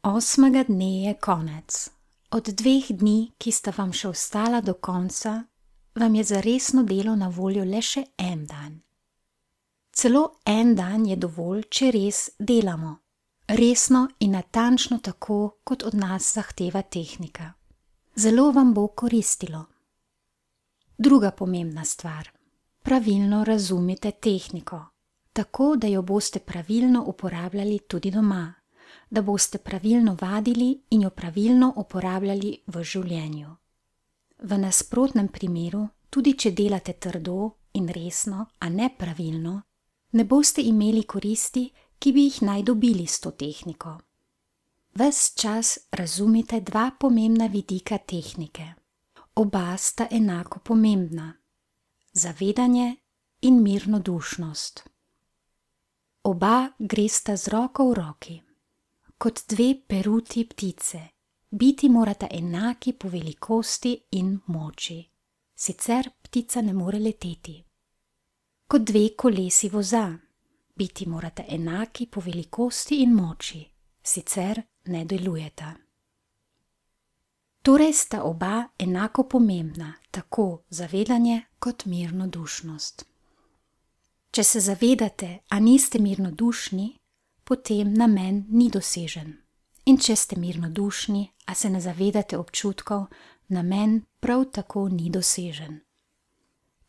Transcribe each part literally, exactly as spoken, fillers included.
Osmega dne je konec. Od dveh dni, ki sta vam še ostala do konca, vam je za resno delo na voljo le še en dan. Celo en dan je dovolj, če res delamo. Resno in natančno tako, kot od nas zahteva tehnika. Zelo vam bo koristilo. Druga pomembna stvar. Pravilno razumite tehniko, tako da jo boste pravilno uporabljali tudi doma, da boste pravilno vadili in jo pravilno uporabljali v življenju. V nasprotnem primeru, tudi če delate trdo in resno, a ne pravilno, ne boste imeli koristi, ki bi jih naj dobili s to tehniko. Ves čas razumite dva pomembna vidika tehnike. Oba sta enako pomembna. Zavedanje in mirnodušnost. Oba gresta z roko v roki. Kot dve peruti ptice, biti morata enaki po velikosti in moči. Sicer ptica ne more leteti. Kot dve kolesi voza, biti morata enaki po velikosti in moči. Sicer ne delujeta. Torej sta oba enako pomembna, tako zavedanje kot mirnodušnost. Če se zavedate, a niste mirnodušni, potem namen ni dosežen. In če ste mirnodušni, a se ne zavedate občutkov, namen prav tako ni dosežen.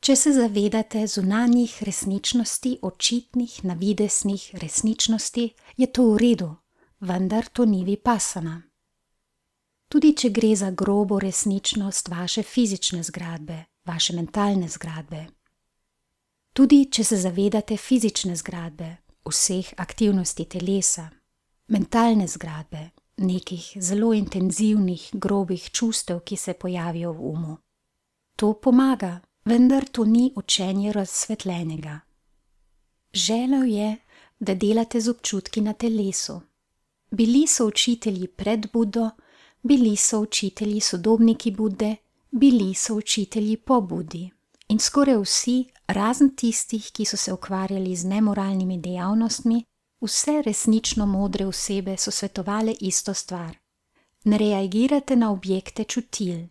Če se zavedate zunanjih resničnosti, očitnih, navideznih resničnosti, je to v redu, vendar to ni vipassana. Tudi če gre za grobo resničnost vaše fizične zgradbe, vaše mentalne zgradbe. Tudi če se zavedate fizične zgradbe, vseh aktivnosti telesa, mentalne zgradbe, nekih zelo intenzivnih, grobih čustev, ki se pojavijo v umu. To pomaga, vendar to ni učenje razsvetljenega. Želel je, da delate z občutki na telesu. Bili so učitelji pred Budo, bili so učitelji sodobniki Bude, bili so učitelji po Budi. In skoraj vsi, razen tistih, ki so se ukvarjali z nemoralnimi dejavnostmi, vse resnično modre osebe so svetovale isto stvar. Ne reagirate na objekte čutil.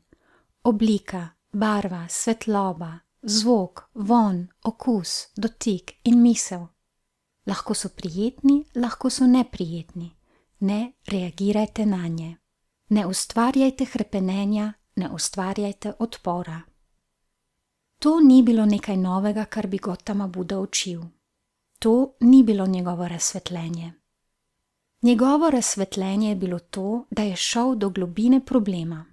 Oblika, barva, svetloba, zvok, vonj, okus, dotik in misel. Lahko so prijetni, lahko so neprijetni. Ne reagirajte nanje. Ne ustvarjajte hrepenenja, ne ustvarjajte odpora. To ni bilo nekaj novega, kar bi Gotama Buda učil. To ni bilo njegovo razsvetljenje. Njegovo razsvetljenje je bilo to, da je šel do globine problema.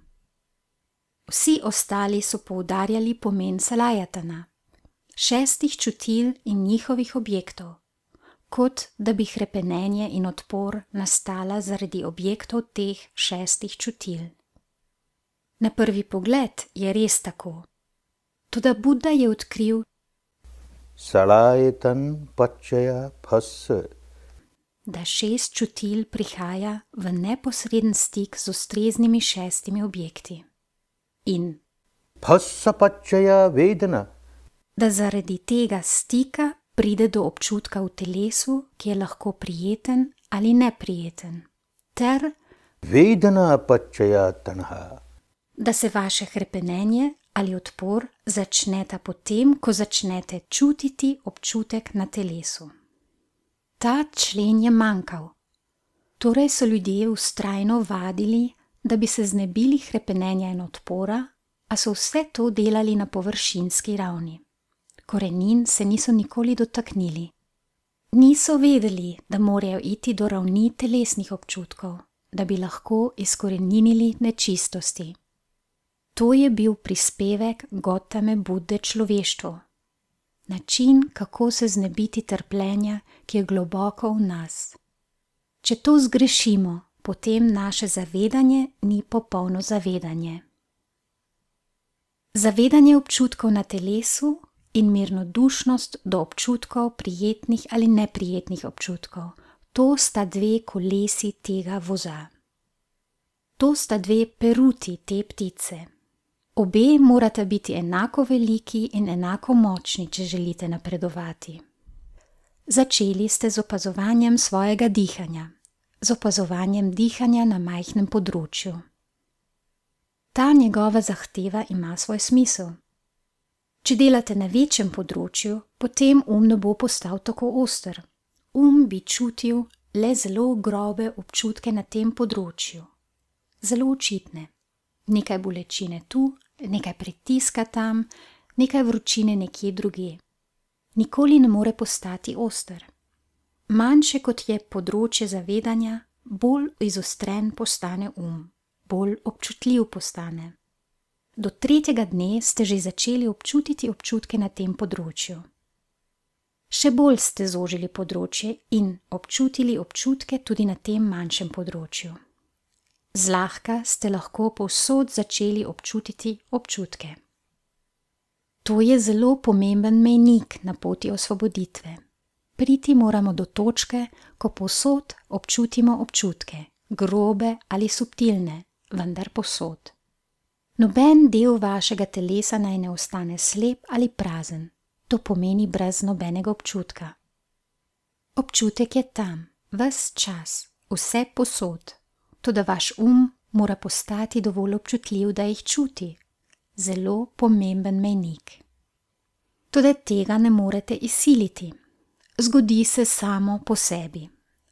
Vsi ostali so poudarjali pomen salajatana, šestih čutil in njihovih objektov, kot da bi hrepenenje in odpor nastala zaradi objektov teh šestih čutil. Na prvi pogled je res tako. Toda Buda je odkril Salajatan pačaya phassa, da šest čutil prihaja v neposreden stik z ustreznimi šestimi objekti. In phassa pačaya vedana, da zaradi tega stika pride do občutka v telesu, ki je lahko prijeten ali neprijeten, ter vedana pačaya tanha, da se vaše hrepenenje ali odpor začneta potem, ko začnete čutiti občutek na telesu. Ta člen je manjkal. Torej so ljudje vztrajno vadili, da bi se znebili hrepenenja in odpora, a so vse to delali na površinski ravni. Korenin se niso nikoli dotaknili. Niso vedeli, da morajo iti do ravni telesnih občutkov, da bi lahko izkoreninili nečistosti. To je bil prispevek Gotame Bude človeštvu. Način, kako se znebiti trpljenja, ki je globoko v nas. Če to zgrešimo, potem naše zavedanje ni popolno zavedanje. Zavedanje občutkov na telesu in mirnodušnost do občutkov prijetnih ali neprijetnih občutkov, to sta dve kolesi tega voza. To sta dve peruti te ptice. Obe morata biti enako veliki in enako močni, če želite napredovati. Začeli ste z opazovanjem svojega dihanja. z opazovanjem dihanja na majhnem področju. Ta njegova zahteva ima svoj smisel. Če delate na večjem področju, potem um ne bo postal tako oster. Um bi čutil le zelo grobe občutke na tem področju. Zelo očitne. Nekaj bolečine tu, nekaj pritiska tam, nekaj vročine nekje drugje. Nikoli ne more postati oster. Manjše kot je področje zavedanja, bolj izostren postane um, bolj občutljiv postane. Do tretjega dne ste že začeli občutiti občutke na tem področju. Še bolj ste zožili področje in občutili občutke tudi na tem manjšem področju. Zlahka ste lahko povsod začeli občutiti občutke. To je zelo pomemben mejnik na poti osvoboditve. Priti moramo do točke, ko povsod občutimo občutke, grobe ali subtilne, vendar povsod. Noben del vašega telesa naj ne ostane slep ali prazen, to pomeni brez nobenega občutka. Občutek je tam, ves čas, vse posod, toda vaš um mora postati dovolj občutljiv, da jih čuti. Zelo pomemben mejnik. Toda tega ne morete izsiliti. Zgodi se samo po sebi.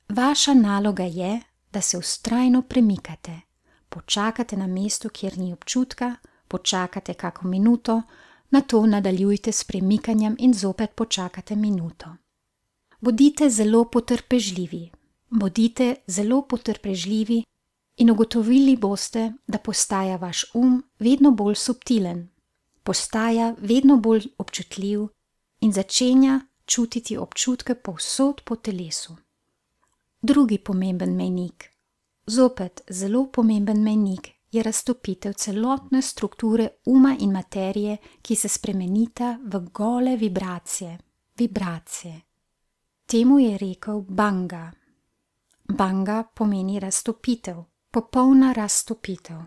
Vaša naloga je, da se vztrajno premikate. Počakate na mestu, kjer ni občutka, počakate kako minuto, nato nadaljujte s premikanjem in zopet počakate minuto. Bodite zelo potrpežljivi, bodite zelo potrpežljivi in ugotovili boste, da postaja vaš um vedno bolj subtilen, postaja vedno bolj občutljiv in začenja čutiti občutke povsod po telesu. Drugi pomemben mejnik. Zopet zelo pomemben mejnik je raztopitev celotne strukture uma in materije, ki se spremenita v gole vibracije, vibracije. Temu je rekel Banga. Banga pomeni raztopitev, popolna raztopitev.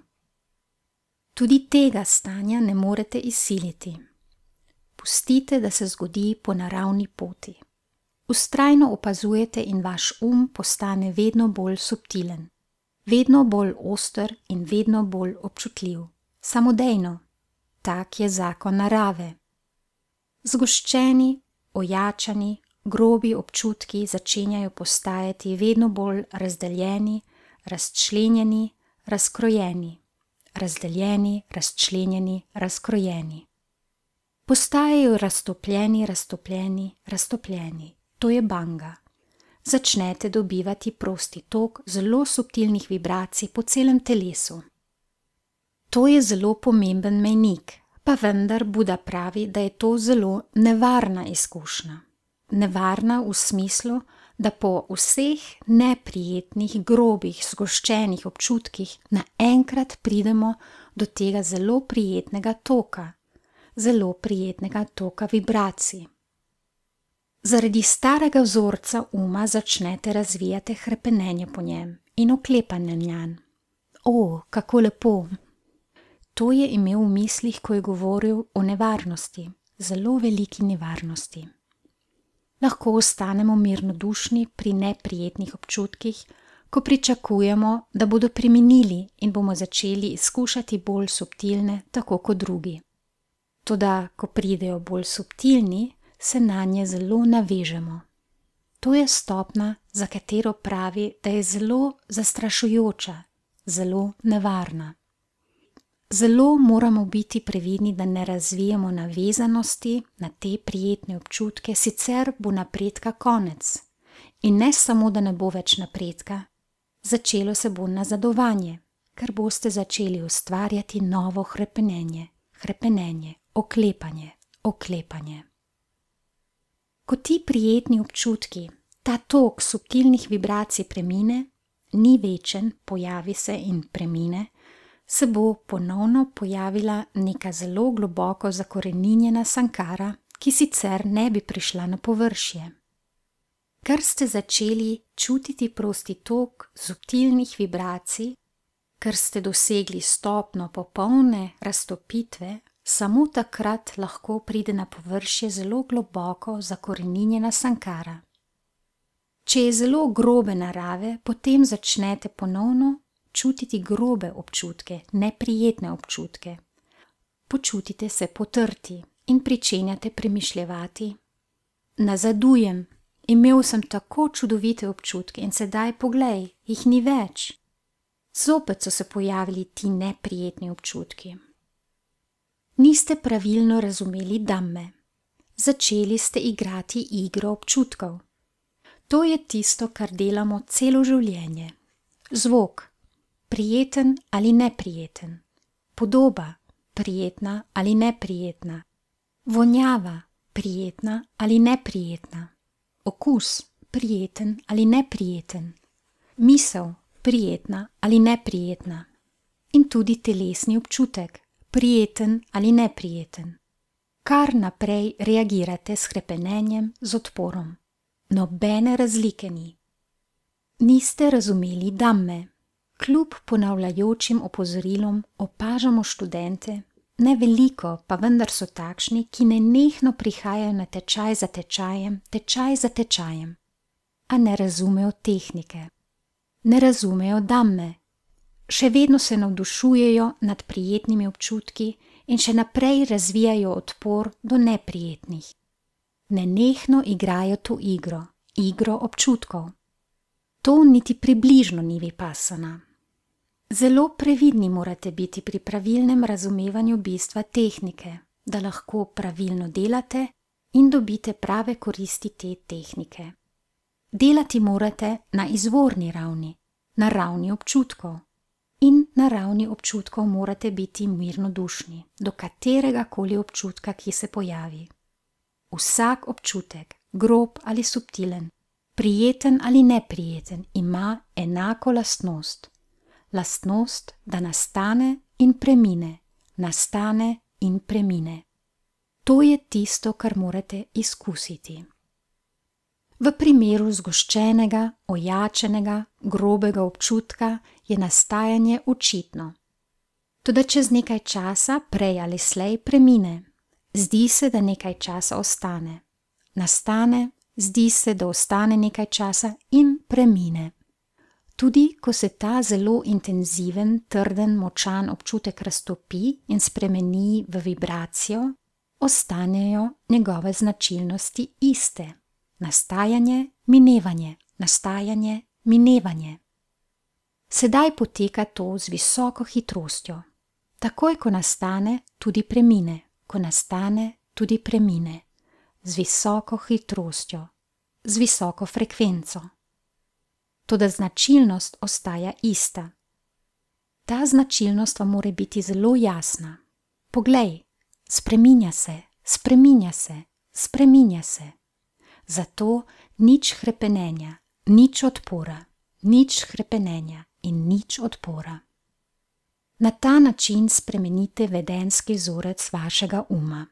Tudi tega stanja ne morete izsiliti. Pustite, da se zgodi po naravni poti. Vztrajno opazujete in vaš um postane vedno bolj subtilen. Vedno bolj oster in vedno bolj občutljiv. Samodejno. Tak je zakon narave. Zgoščeni, ojačani, grobi občutki začenjajo postajati vedno bolj razdeljeni, razčlenjeni, razkrojeni. Razdeljeni, razčlenjeni, razkrojeni. Postajajo raztopljeni, raztopljeni, raztopljeni. To je Banga. Začnete dobivati prosti tok zelo subtilnih vibracij po celem telesu. To je zelo pomemben mejnik, pa vendar Buda pravi, da je to zelo nevarna izkušnja. Nevarna v smislu, da po vseh neprijetnih, grobih, zgoščenih občutkih naenkrat pridemo do tega zelo prijetnega toka, zelo prijetnega toka vibracij. Zaradi starega vzorca uma začnete razvijati hrepenenje po njem in oklepanje njanj. O, kako lepo! To je imel v mislih, ko je govoril o nevarnosti, zelo veliki nevarnosti. Lahko ostanemo mirnodušni pri neprijetnih občutkih, ko pričakujemo, da bodo preminili in bomo začeli izkušati bolj subtilne, tako kot drugi. Toda, ko pridejo bolj subtilni, se nanje zelo navežemo. To je stopnja, za katero pravi, da je zelo zastrašujoča, zelo nevarna. Zelo moramo biti previdni, da ne razvijemo navezanosti na te prijetne občutke, sicer bo napredka konec. In ne samo, da ne bo več napredka, začelo se bo nazadovanje, ker boste začeli ustvarjati novo hrepenenje, hrepenenje, oklepanje, oklepanje. Ko ti prijetni občutki, ta tok subtilnih vibracij premine, ni večen, pojavi se in premine, se bo ponovno pojavila neka zelo globoko zakoreninjena sankara, ki sicer ne bi prišla na površje. Ker ste začeli čutiti prosti tok subtilnih vibracij, ker ste dosegli stopnjo popolne raztopitve, samo takrat lahko pride na površje zelo globoko zakoreninjena sankara. Če je zelo grobe narave, potem začnete ponovno čutiti grobe občutke, neprijetne občutke. Počutite se potrti in pričenjate premišljevati. Nazadujem, imel sem tako čudovite občutke in sedaj poglej, jih ni več. Zopet so se pojavili ti neprijetni občutki. Niste pravilno razumeli Dhamme. Začeli ste igrati igro občutkov. To je tisto, kar delamo celo življenje. Zvok, prijeten ali neprijeten. Podoba, prijetna ali neprijetna. Vonjava, prijetna ali neprijetna. Okus, prijeten ali neprijeten. Misel, prijetna ali neprijetna. In tudi telesni občutek, prijeten ali neprijeten. Kar naprej reagirate s hrepenenjem, z odporom. Nobene razlike ni. Niste razumeli Dhamme. Kljub ponavljajočim opozorilom opažamo študente, ne veliko, pa vendar so takšni, ki nenehno prihajajo na tečaj za tečajem, tečaj za tečajem, a ne razumejo tehnike. Ne razumejo Dhamme. Še vedno se navdušujejo nad prijetnimi občutki in še naprej razvijajo odpor do neprijetnih. Nenehno igrajo to igro, igro občutkov. To niti približno ni vipassana. Zelo previdni morate biti pri pravilnem razumevanju bistva tehnike, da lahko pravilno delate in dobite prave koristi te tehnike. Delati morate na izvorni ravni, na ravni občutkov. In na ravni občutkov morate biti mirnodušni, do katerega koli občutka, ki se pojavi. Vsak občutek, grob ali subtilen, prijeten ali neprijeten, ima enako lastnost. Lastnost, da nastane in premine, nastane in premine. To je tisto, kar morate izkusiti. V primeru zgoščenega, ojačenega, grobega občutka je nastajanje očitno. Toda čez nekaj časa, prej ali slej, premine. Zdi se, da nekaj časa ostane. Nastane, zdi se, da ostane nekaj časa in premine. Tudi ko se ta zelo intenziven, trden, močan občutek raztopi in spremeni v vibracijo, ostanejo njegove značilnosti iste. Nastajanje, minevanje, nastajanje, minevanje. Sedaj poteka to z visoko hitrostjo. Takoj, ko nastane, tudi premine, ko nastane, tudi premine. Z visoko hitrostjo, z visoko frekvenco. Toda značilnost ostaja ista. Ta značilnost vam mora biti zelo jasna. Poglej, spreminja se, spreminja se, spreminja se. Zato nič hrepenenja, nič odpora, nič hrepenenja in nič odpora. Na ta način spremenite vedenski vzorec vašega uma.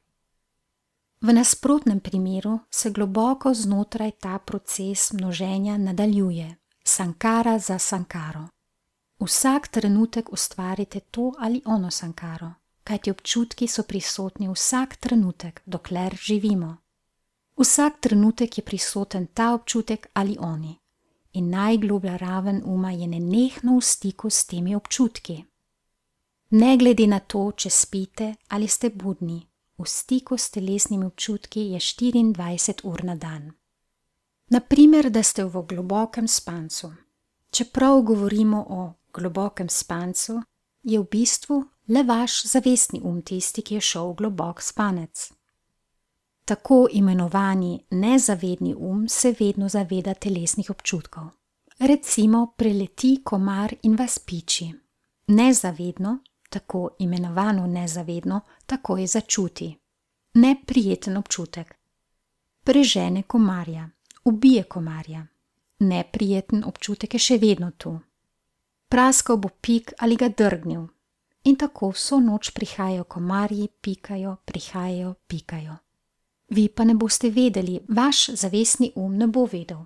V nasprotnem primeru se globoko znotraj ta proces množenja nadaljuje, sankara za sankaro. Vsak trenutek ustvarite to ali ono sankaro, kajti občutki so prisotni vsak trenutek, dokler živimo. Vsak trenutek je prisoten ta občutek ali oni in najgloblja raven uma je nenehno v stiku s temi občutki. Ne glede na to, če spite ali ste budni, v stiku s telesnimi občutki je štiriindvajset ur na dan. Naprimer, da ste v globokem spancu. Čeprav govorimo o globokem spancu, je v bistvu le vaš zavestni um tisti, ki je šel v globok spanec. Tako imenovani nezavedni um se vedno zaveda telesnih občutkov. Recimo preleti komar in vas piči. Nezavedno, tako imenovano nezavedno, takoj začuti. Neprijeten občutek. Prežene komarja, ubije komarja. Neprijeten občutek je še vedno tu. Praskal bo pik ali ga drgnil. In tako vso noč prihajajo komarji, pikajo, prihajajo, pikajo. Vi pa ne boste vedeli, vaš zavestni um ne bo vedel.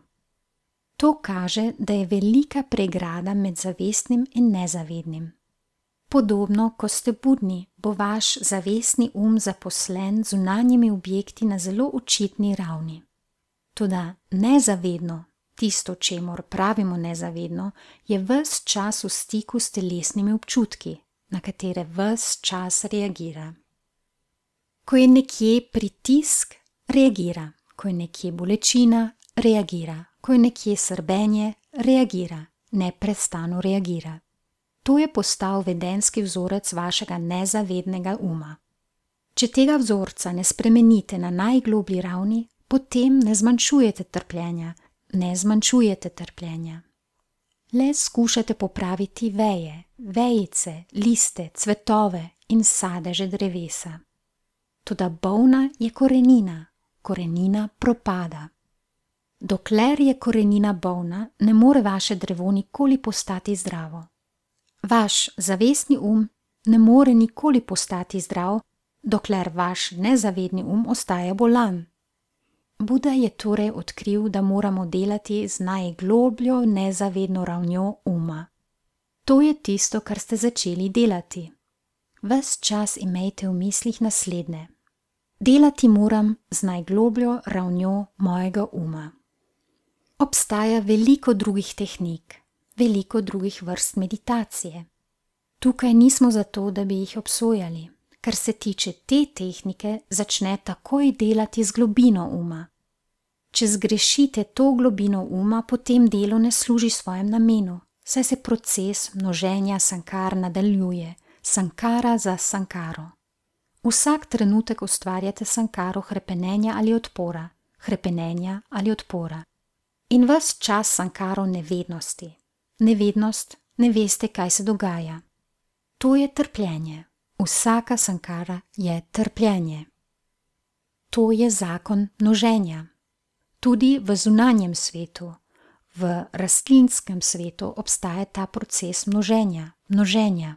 To kaže, da je velika pregrada med zavestnim in nezavednim. Podobno, ko ste budni, bo vaš zavestni um zaposlen z zunanjimi objekti na zelo očitni ravni. Toda nezavedno, tisto, čemur pravimo nezavedno, je ves čas v stiku s telesnimi občutki, na katere ves čas reagira. Ko je nekje pritisk, reagira. Ko je nekje bolečina, reagira. Ko je nekje srbenje, reagira. Neprestano reagira. To je postal vedenjski vzorec vašega nezavednega uma. Če tega vzorca ne spremenite na najgloblji ravni, potem ne zmanjšujete trpljenja, ne zmanjšujete trpljenja. Le skušate popraviti veje, vejice, liste, cvetove in sadeže drevesa. Toda bolna je korenina, korenina propada. Dokler je korenina bolna, ne more vaše drevo nikoli postati zdravo. Vaš zavestni um ne more nikoli postati zdrav, dokler vaš nezavedni um ostaja bolan. Buda je torej odkril, da moramo delati z najglobljo nezavedno ravnjo uma. To je tisto, kar ste začeli delati. Ves čas imejte v mislih naslednje. Delati moram z najglobljo ravnjo mojega uma. Obstaja veliko drugih tehnik, veliko drugih vrst meditacije. Tukaj nismo zato, da bi jih obsojali. Kar se tiče te tehnike, začne takoj delati z globino uma. Če zgrešite to globino uma, potem delo ne služi svojem namenu, saj se proces množenja sankar nadaljuje, sankara za sankaro. Vsak trenutek ustvarjate sankaro hrepenenja ali odpora, hrepenenja ali odpora. In ves čas sankaro nevednosti. Nevednost, ne veste, kaj se dogaja. To je trpljenje. Vsaka sankara je trpljenje. To je zakon množenja. Tudi v zunanjem svetu, v rastlinskem svetu obstaja ta proces množenja, množenja.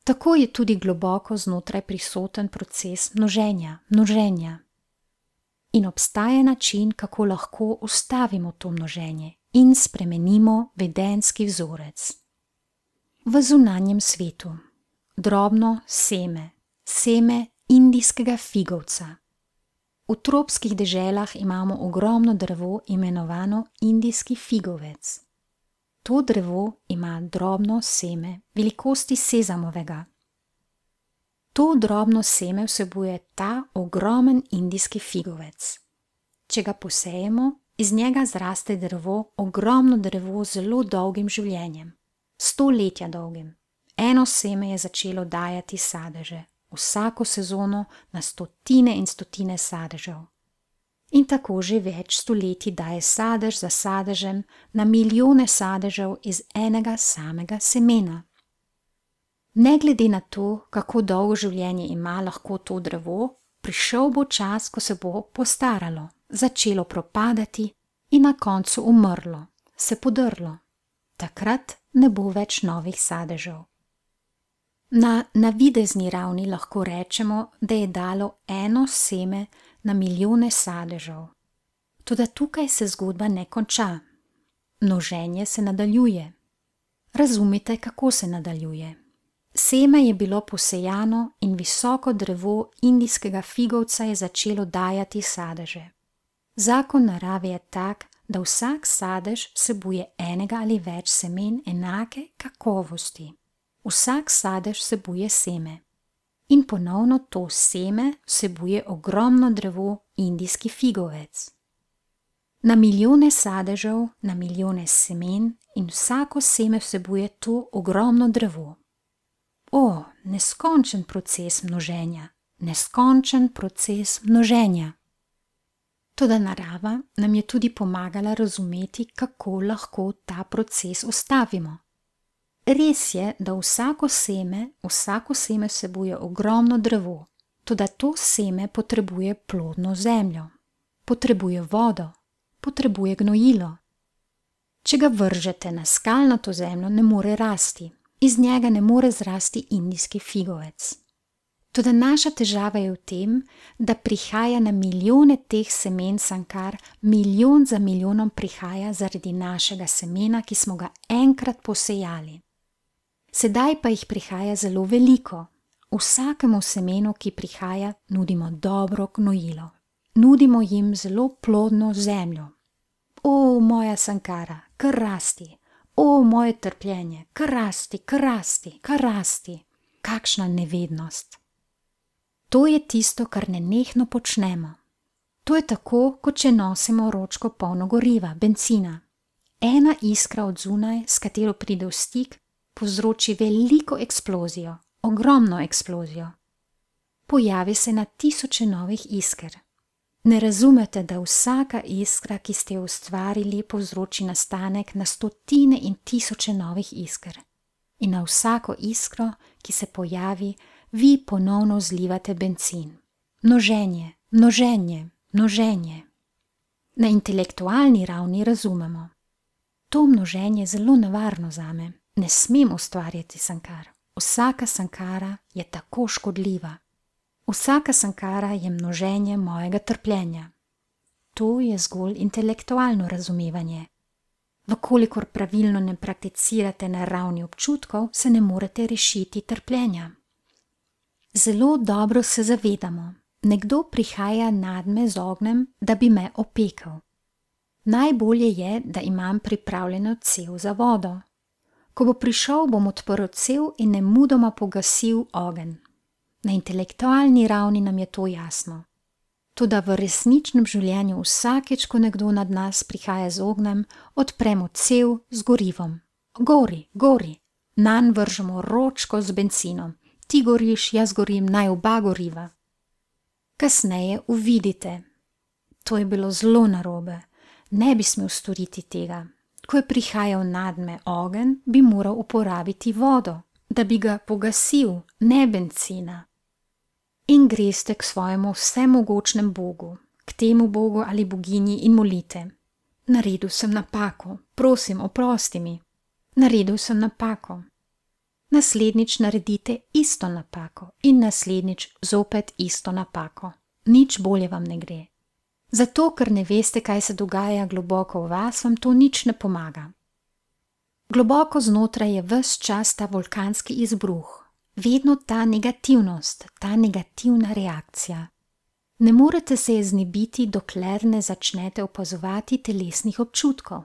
Tako je tudi globoko znotraj prisoten proces množenja, množenja. In obstaja način, kako lahko ustavimo to množenje in spremenimo vedenjski vzorec. V zunanjem svetu. Drobno seme, seme indijskega figovca. V tropskih deželah imamo ogromno drevo imenovano indijski figovec. To drevo ima drobno seme velikosti sezamovega. To drobno seme vsebuje ta ogromen indijski figovec. Če ga posejemo, iz njega zraste drevo, ogromno drevo z zelo dolgim življenjem, stoletja dolgim. Eno seme je začelo dajati sadeže, vsako sezono na stotine in stotine sadežev. In tako že več stoletij daje sadež za sadežem na milijone sadežev iz enega samega semena. Ne glede na to, kako dolgo življenje ima lahko to drevo, prišel bo čas, ko se bo postaralo, začelo propadati in na koncu umrlo, se podrlo. Takrat ne bo več novih sadežev. Na navidezni ravni lahko rečemo, da je dalo eno seme na milijone sadežev. Toda tukaj se zgodba ne konča. Množenje se nadaljuje. Razumite, kako se nadaljuje. Seme je bilo posejano in visoko drevo indijskega figovca je začelo dajati sadeže. Zakon narave je tak, da vsak sadež vsebuje enega ali več semen enake kakovosti. Vsak sadež vsebuje seme. In ponovno to seme vsebuje ogromno drevo indijski figovec. Na milijone sadežev, na milijone semen in vsako seme vsebuje to ogromno drevo. O, neskončen proces množenja, neskončen proces množenja. Toda narava nam je tudi pomagala razumeti, kako lahko ta proces ustavimo. Res je, da vsako seme, vsako seme vsebuje ogromno drevo, toda to seme potrebuje plodno zemljo, potrebuje vodo, potrebuje gnojilo. Če ga vržete na skalnato zemljo, ne more rasti, iz njega ne more zrasti indijski figovec. Toda naša težava je v tem, da prihaja na milijone teh semen sankar, milijon za milijonom prihaja zaradi našega semena, ki smo ga enkrat posejali. Sedaj pa jih prihaja zelo veliko. Vsakemu semenu, ki prihaja, nudimo dobro gnojilo. Nudimo jim zelo plodno zemljo. O, moja sankara, kar rasti. O, moje trpljenje, kar rasti, kar rasti, kar rasti. Kakšna nevednost. To je tisto, kar nenehno počnemo. To je tako, kot če nosimo ročko polno goriva, bencina. Ena iskra od zunaj, s katero pride v stik, povzroči veliko eksplozijo, ogromno eksplozijo. Pojavi se na tisoče novih isker. Ne razumete, da vsaka iskra, ki ste jo ustvarili, povzroči nastanek na stotine in tisoče novih isker. In na vsako iskro, ki se pojavi, vi ponovno zlivate bencin. Množenje, množenje, množenje. Na intelektualni ravni razumemo. To množenje je zelo nevarno zame. Ne smem ustvarjati sankar. Vsaka sankara je tako škodljiva. Vsaka sankara je množenje mojega trpljenja. To je zgolj intelektualno razumevanje. Vkolikor pravilno ne prakticirate na ravni občutkov, se ne morete rešiti trpljenja. Zelo dobro se zavedamo, nekdo prihaja nadme z ognjem, da bi me opekel. Najbolje je, da imam pripravljeno cev za vodo. Ko bo prišel, bom odprl cev in nemudoma pogasil ogenj. Na intelektualni ravni nam je to jasno. Toda v resničnem življenju vsakeč, ko nekdo nad nas prihaja z ognjem, odpremo cev z gorivom. Gori, gori. Nanj vržemo ročko z bencinom. Ti goriš, jaz gorim, naj oba goriva. Kasneje uvidite. To je bilo zelo narobe. Ne bi smel storiti tega. Ko je prihajal nadme ogenj, bi moral uporabiti vodo, da bi ga pogasil, ne bencina. In greste k svojemu vsemogočnem Bogu, k temu Bogu ali boginji in molite. Naredil sem napako, prosim, oprosti mi. Naredil sem napako. Naslednjič naredite isto napako in naslednjič zopet isto napako. Nič bolje vam ne gre. Zato, ker ne veste, kaj se dogaja globoko v vas, vam to nič ne pomaga. Globoko znotraj je ves čas ta vulkanski izbruh. Vedno ta negativnost, ta negativna reakcija. Ne morete se je znebiti, dokler ne začnete opazovati telesnih občutkov.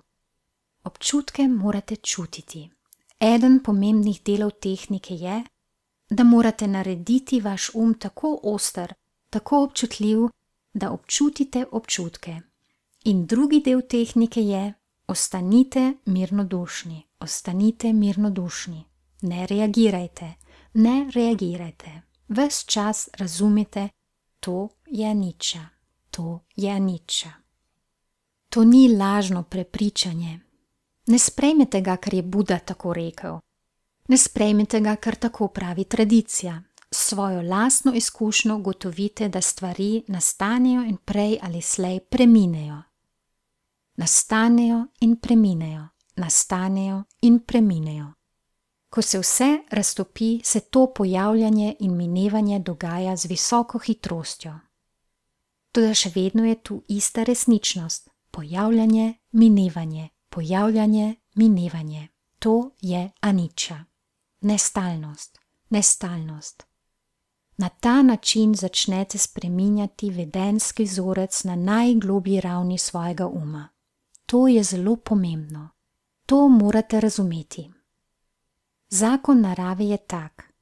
Občutke morate čutiti. Eden pomembnih delov tehnike je, da morate narediti vaš um tako oster, tako občutljiv, da občutite občutke. In drugi del tehnike je, ostanite mirnodušni, ostanite mirnodušni. Ne reagirajte. Ne reagirajte. Ves čas razumite, to je niča, to je niča. To ni lažno prepričanje. Ne sprejmete ga, ker je Buda tako rekel. Ne sprejmete ga, ker tako pravi tradicija. Svojo lastno izkušnjo ugotovite, da stvari nastanejo in prej ali slej preminejo. Nastanejo in preminejo, nastanejo in preminejo. Ko se vse raztopi, se to pojavljanje in minevanje dogaja z visoko hitrostjo. Toda še vedno je tu ista resničnost. Pojavljanje, minevanje, pojavljanje, minevanje. To je aniča. Nestalnost, nestalnost. Na ta način začnete spreminjati vedenjski vzorec na najglobji ravni svojega uma. To je zelo pomembno. To morate razumeti. Zakon narave je tak.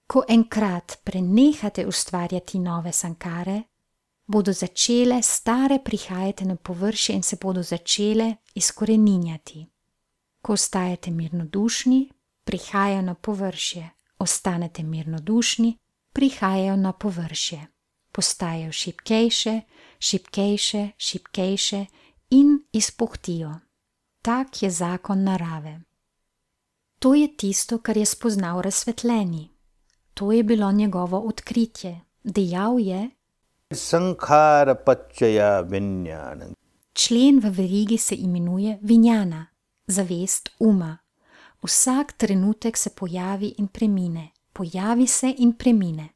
Ko enkrat prenehate ustvarjati nove sankare, bodo začele stare prihajati na površje in se bodo začele izkoreninjati. Ko ostajate mirnodušni, prihajajo na površje. Ostanete mirnodušni, prihajajo na površje. Postajajo šibkejše, šibkejše, šibkejše in izpuhtijo. Tak je zakon narave. To je tisto, kar je spoznal razsvetljeni. To je bilo njegovo odkritje. Dejal je: Sankhara paccaya vinjana. Člen v verigi se imenuje vinjana, zavest uma. Vsak trenutek se pojavi in premine, pojavi se in premine.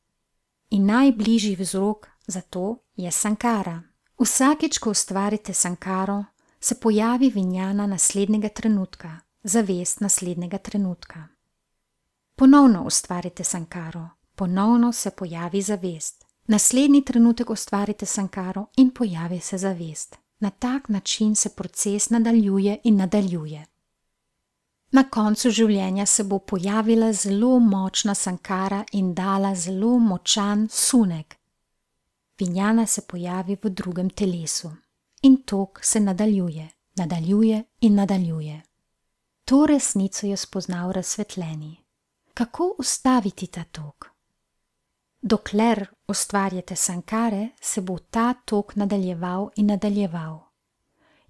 In najbližji vzrok za to je sankara. Vsakič, ko ustvarite sankaro, se pojavi vinjana naslednjega trenutka, zavest naslednjega trenutka. Ponovno ustvarite sankaro, ponovno se pojavi zavest. Naslednji trenutek ustvarite sankaro in pojavi se zavest. Na tak način se proces nadaljuje in nadaljuje. Na koncu življenja se bo pojavila zelo močna sankara in dala zelo močan sunek. Vinjana se pojavi v drugem telesu in tok se nadaljuje, nadaljuje in nadaljuje. To resnico je spoznal razsvetljeni. Kako ustaviti ta tok? Dokler ustvarjate sankare, se bo ta tok nadaljeval in nadaljeval.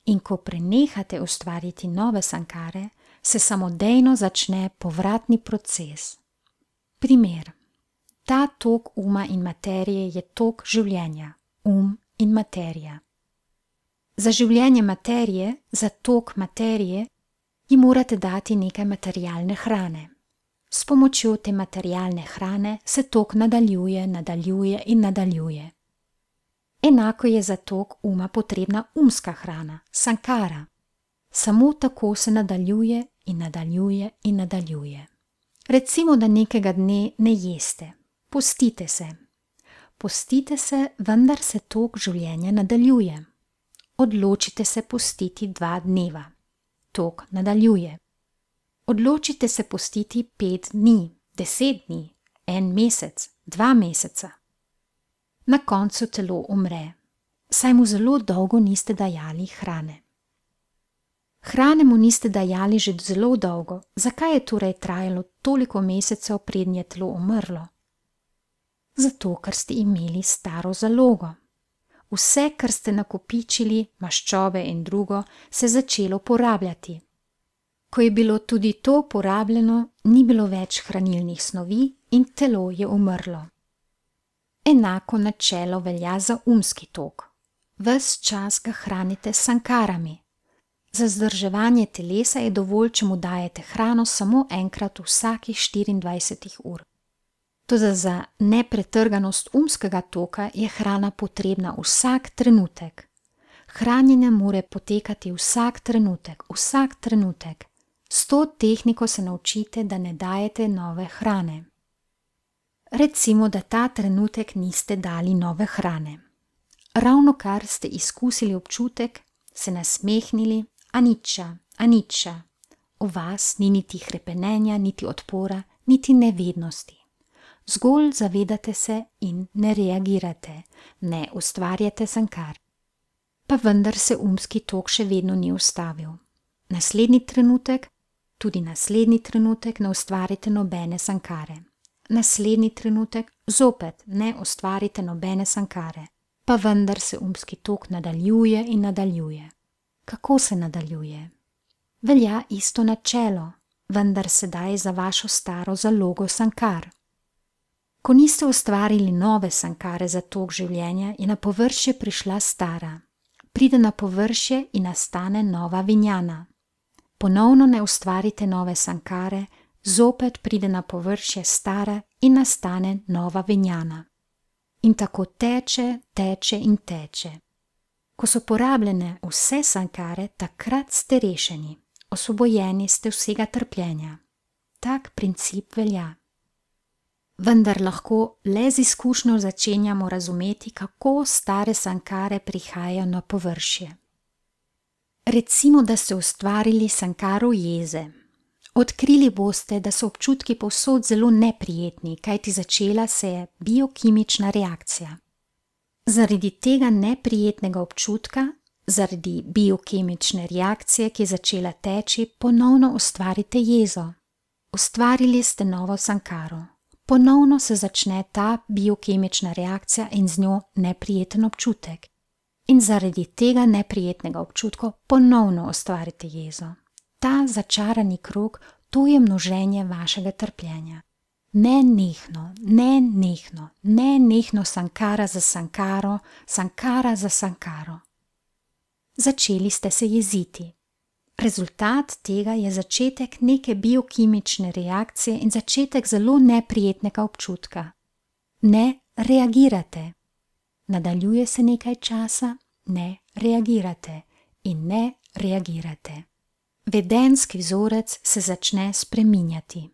In ko prenehate ustvarjati nove sankare, se samodejno začne povratni proces. Primer. Ta tok uma in materije je tok življenja, um in materija. Za življenje materije, za tok materije, ji morate dati nekaj materialne hrane. S pomočjo te materialne hrane se tok nadaljuje, nadaljuje in nadaljuje. Enako je za tok uma potrebna umska hrana, sankara. Samo tako se nadaljuje in nadaljuje in nadaljuje. Recimo, da nekega dne ne jeste. Postite se. Postite se, vendar se tok življenja nadaljuje. Odločite se postiti dva dneva. Tok nadaljuje. Odločite se postiti pet dni, deset dni, en mesec, dva meseca. Na koncu telo umre, saj mu zelo dolgo niste dajali hrane. Hrane mu niste dajali že zelo dolgo, zakaj je torej trajalo toliko mesecev, preden je telo umrlo? Zato, ker ste imeli staro zalogo. Vse, kar ste nakopičili, maščobe in drugo, se je začelo porabljati. Ko je bilo tudi to porabljeno, ni bilo več hranilnih snovi in telo je umrlo. Enako načelo velja za umski tok. Ves čas ga hranite s sankarami. Za vzdrževanje telesa je dovolj, če mu dajete hrano samo enkrat vsakih štiriindvajset ur. Toda za nepretrganost umskega toka je hrana potrebna vsak trenutek. Hranjenje mora potekati vsak trenutek, vsak trenutek. S to tehniko se naučite, da ne dajete nove hrane. Recimo, da ta trenutek niste dali nove hrane. Ravnokar ste izkusili občutek, se nasmehnili, aniča, aniča. V vas ni niti hrepenenja, niti odpora, niti nevednosti. Zgolj zavedate se in ne reagirate, ne ustvarjate sankar. Pa vendar se umski tok še vedno ni ustavil. Naslednji trenutek, tudi naslednji trenutek ne ustvarite nobene sankare. Naslednji trenutek zopet ne ustvarite nobene sankare. Pa vendar se umski tok nadaljuje in nadaljuje. Kako se nadaljuje? Velja isto načelo, vendar sedaj za vašo staro zalogo sankar. Ko niste ustvarili nove sankare za tok življenja, je na površje prišla stara. Pride na površje in nastane nova vinjana. Ponovno ne ustvarite nove sankare, zopet pride na površje stara in nastane nova vinjana. In tako teče, teče in teče. Ko so porabljene vse sankare, takrat ste rešeni, osvobojeni ste vsega trpljenja. Tak princip velja. Vendar lahko le z izkušnjo začenjamo razumeti, kako stare sankare prihajajo na površje. Recimo, da ste ustvarili sankaro jeze. Odkrili boste, da so občutki povsod zelo neprijetni, kajti začela se je biokimična reakcija. Zaradi tega neprijetnega občutka, zaradi biokemične reakcije, ki je začela teči, ponovno ustvarite jezo. Ustvarili ste novo sankaro. Ponovno se začne ta biokemična reakcija in z njo neprijeten občutek. In zaradi tega neprijetnega občutka ponovno ustvarite jezo. Ta začarani krog, to je množenje vašega trpljenja. Nenehno, nenehno, nenehno sankara za sankaro, sankara za sankaro. Začeli ste se jeziti. Rezultat tega je začetek neke biokimične reakcije in začetek zelo neprijetnega občutka. Ne reagirate. Nadaljuje se nekaj časa, ne reagirate in ne reagirate. Vedenski vzorec se začne spreminjati.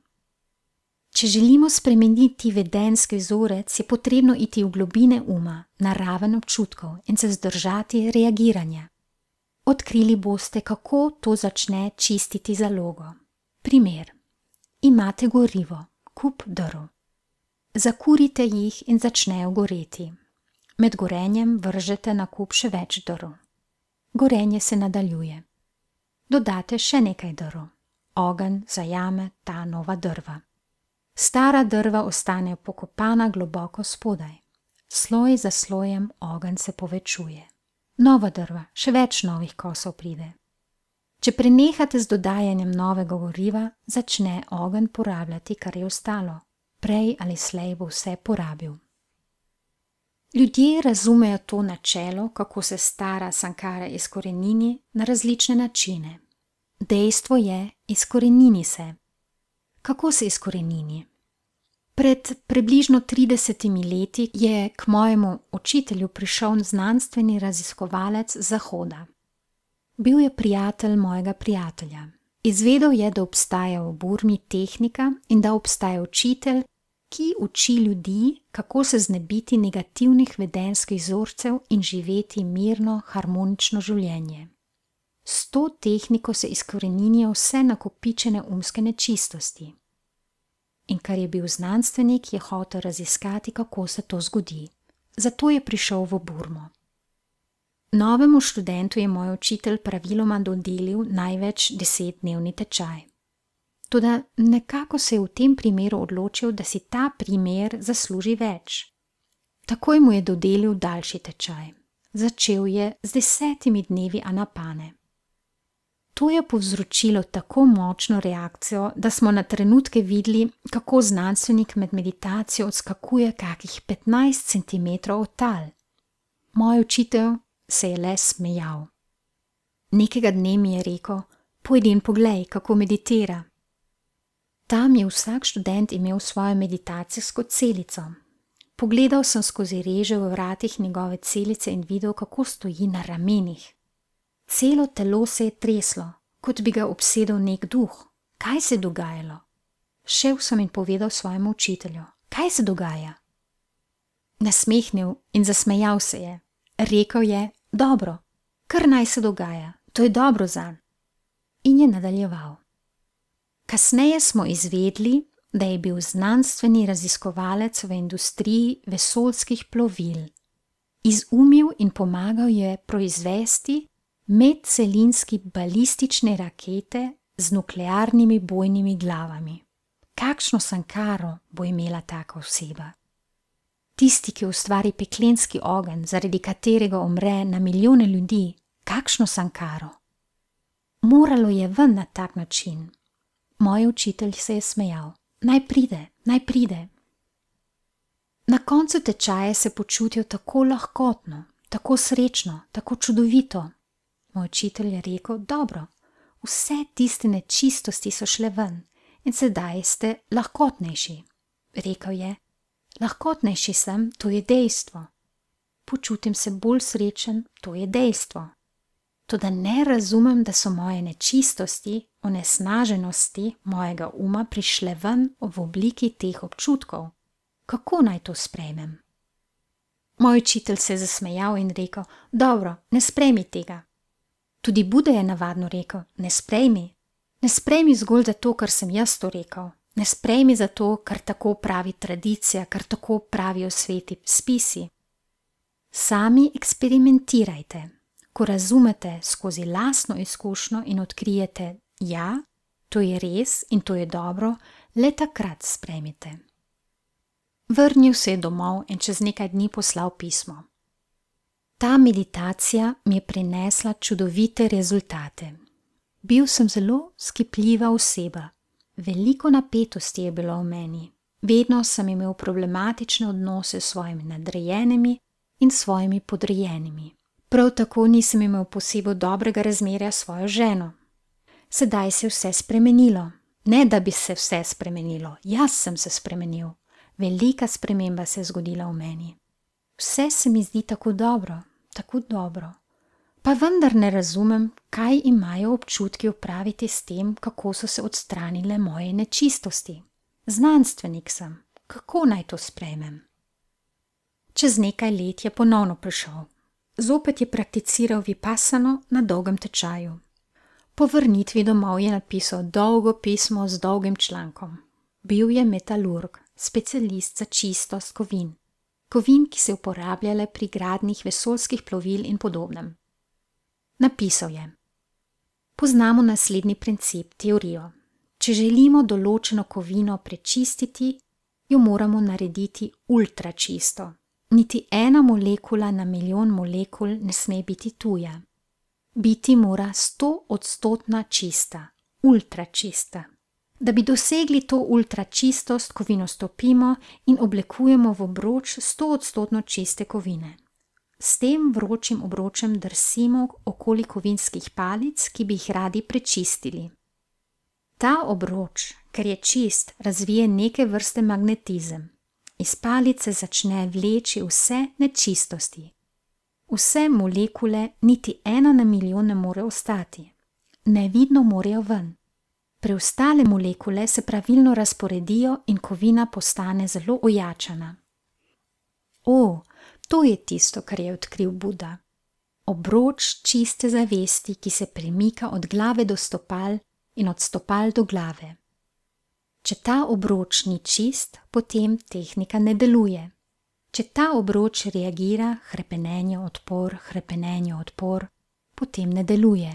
Če želimo spremeniti vedenski vzorec, je potrebno iti v globine uma, na raven občutkov in se vzdržati reagiranja. Odkrili boste, kako to začne čistiti zalogo. Primer. Imate gorivo, kup drv. Zakurite jih in začnejo goreti. Med gorenjem vržete na kup še več drv. Gorenje se nadaljuje. Dodate še nekaj drv. Ogenj zajame ta nova drva. Stara drva ostanejo pokopana globoko spodaj. Sloj za slojem ogenj se povečuje. Nova drva, še več novih kosov pride. Če prenehate z dodajanjem novega goriva, začne ogenj porabljati, kar je ostalo. Prej ali slej bo vse porabil. Ljudje razumejo to načelo, kako se stara sankara izkorenini, na različne načine. Dejstvo je, izkorenini se. Kako se izkorenini? Pred približno tridesetimi leti je k mojemu učitelju prišel znanstveni raziskovalec z Zahoda. Bil je prijatelj mojega prijatelja. Izvedel je, da obstaja v Burmi tehnika in da obstaja učitelj, ki uči ljudi, kako se znebiti negativnih vedenjskih vzorcev in živeti mirno, harmonično življenje. S to tehniko se izkoreninijo vse nakopičene umske nečistosti. In ker je bil znanstvenik, je hotel raziskati, kako se to zgodi. Zato je prišel v Burmo. Novemu študentu je moj učitelj praviloma dodelil največ desetdnevni tečaj. Toda nekako se je v tem primeru odločil, da si ta primer zasluži več. Takoj mu je dodelil daljši tečaj. Začel je z desetimi dnevi anapane. To je povzročilo tako močno reakcijo, da smo na trenutke videli, kako znanstvenik med meditacijo odskakuje kakih petnajst centimetrov od tal. Moj učitelj se je le smejal. Nekega dne mi je rekel, pojdi in poglej, kako meditira. Tam je vsak študent imel svojo meditacijsko celico. Pogledal sem skozi reže v vratih njegove celice in videl, kako stoji na ramenih. Celo telo se je treslo, kot bi ga obsedel nek duh. Kaj se je dogajalo? Šel sem in povedal svojemu učitelju. Kaj se dogaja? Nasmehnil in zasmejal se je. Rekel je, dobro, kar naj se dogaja, to je dobro zanj. In je nadaljeval. Kasneje smo izvedli, da je bil znanstveni raziskovalec v industriji vesoljskih plovil. Izumil in pomagal je proizvesti medcelinski balistične rakete z nuklearnimi bojnimi glavami. Kakšno sankaro bo imela taka oseba? Tisti, ki ustvari peklenski ogenj, zaradi katerega umre na milijone ljudi, kakšno sankaro? Moralo je ven na tak način. Moj učitelj se je smejal. Naj pride, naj pride. Na koncu tečaja se počutil tako lahkotno, tako srečno, tako čudovito. Moj učitelj je rekel, dobro, vse tiste nečistosti so šle ven in sedaj ste lahkotnejši. Rekel je, lahkotnejši sem, to je dejstvo. Počutim se bolj srečen, to je dejstvo. Toda ne razumem, da so moje nečistosti, onesnaženosti mojega uma prišle ven v obliki teh občutkov. Kako naj to sprejmem? Moj učitelj se je zasmejal in rekel, dobro, ne sprejmi tega. Tudi Buda je navadno rekel, ne sprejmi. Ne sprejmi zgolj zato, ker sem jaz to rekel. Ne sprejmi zato, ker tako pravi tradicija, ker tako pravijo sveti spisi. Sami eksperimentirajte. Ko razumete skozi lastno izkušnjo in odkrijete, ja, to je res in to je dobro, le takrat sprejmite. Vrnil se je domov in čez nekaj dni poslal pismo. Ta meditacija mi je prinesla čudovite rezultate. Bil sem zelo skipljiva oseba. Veliko napetosti je bilo v meni. Vedno sem imel problematične odnose s svojimi nadrejenimi in svojimi podrejenimi. Prav tako nisem imel posebej dobrega razmerja s svojo ženo. Sedaj se je vse spremenilo. Ne, da bi se vse spremenilo. Jaz sem se spremenil. Velika sprememba se je zgodila v meni. Vse se mi zdi tako dobro, tako dobro. Pa vendar ne razumem, kaj imajo občutki opraviti s tem, kako so se odstranile moje nečistosti. Znanstvenik sem. Kako naj to sprejmem? Čez nekaj let je ponovno prišel. Zopet je prakticiral vipassano na dolgem tečaju. Po vrnitvi domov je napisal dolgo pismo z dolgim člankom. Bil je metalurg, specialist za čistost kovin. Kovin, ki se uporabljale pri gradnjih vesoljskih plovil in podobnem. Napisal je: Poznamo naslednji princip, teorijo. Če želimo določeno kovino prečistiti, jo moramo narediti ultra čisto. Niti ena molekula na milijon molekul ne sme biti tuja. Biti mora sto odstotna čista, ultra čista. Da bi dosegli to ultra čistost, kovino stopimo in oblikujemo v obroč sto odstotno čiste kovine. S tem vročim obročem drsimo okoli kovinskih palic, ki bi jih radi prečistili. Ta obroč, ker je čist, razvije neke vrste magnetizem. Iz palice začne vleči vse nečistosti. Vse molekule, niti ena na milijon ne more ostati. Nevidno morejo ven. Preostale molekule se pravilno razporedijo in kovina postane zelo ojačana. O, to je tisto, kar je odkril Buda. Obroč čiste zavesti, ki se premika od glave do stopal in od stopal do glave. Če ta obroč ni čist, potem tehnika ne deluje. Če ta obroč reagira, hrepenenje, odpor, hrepenenje, odpor, potem ne deluje.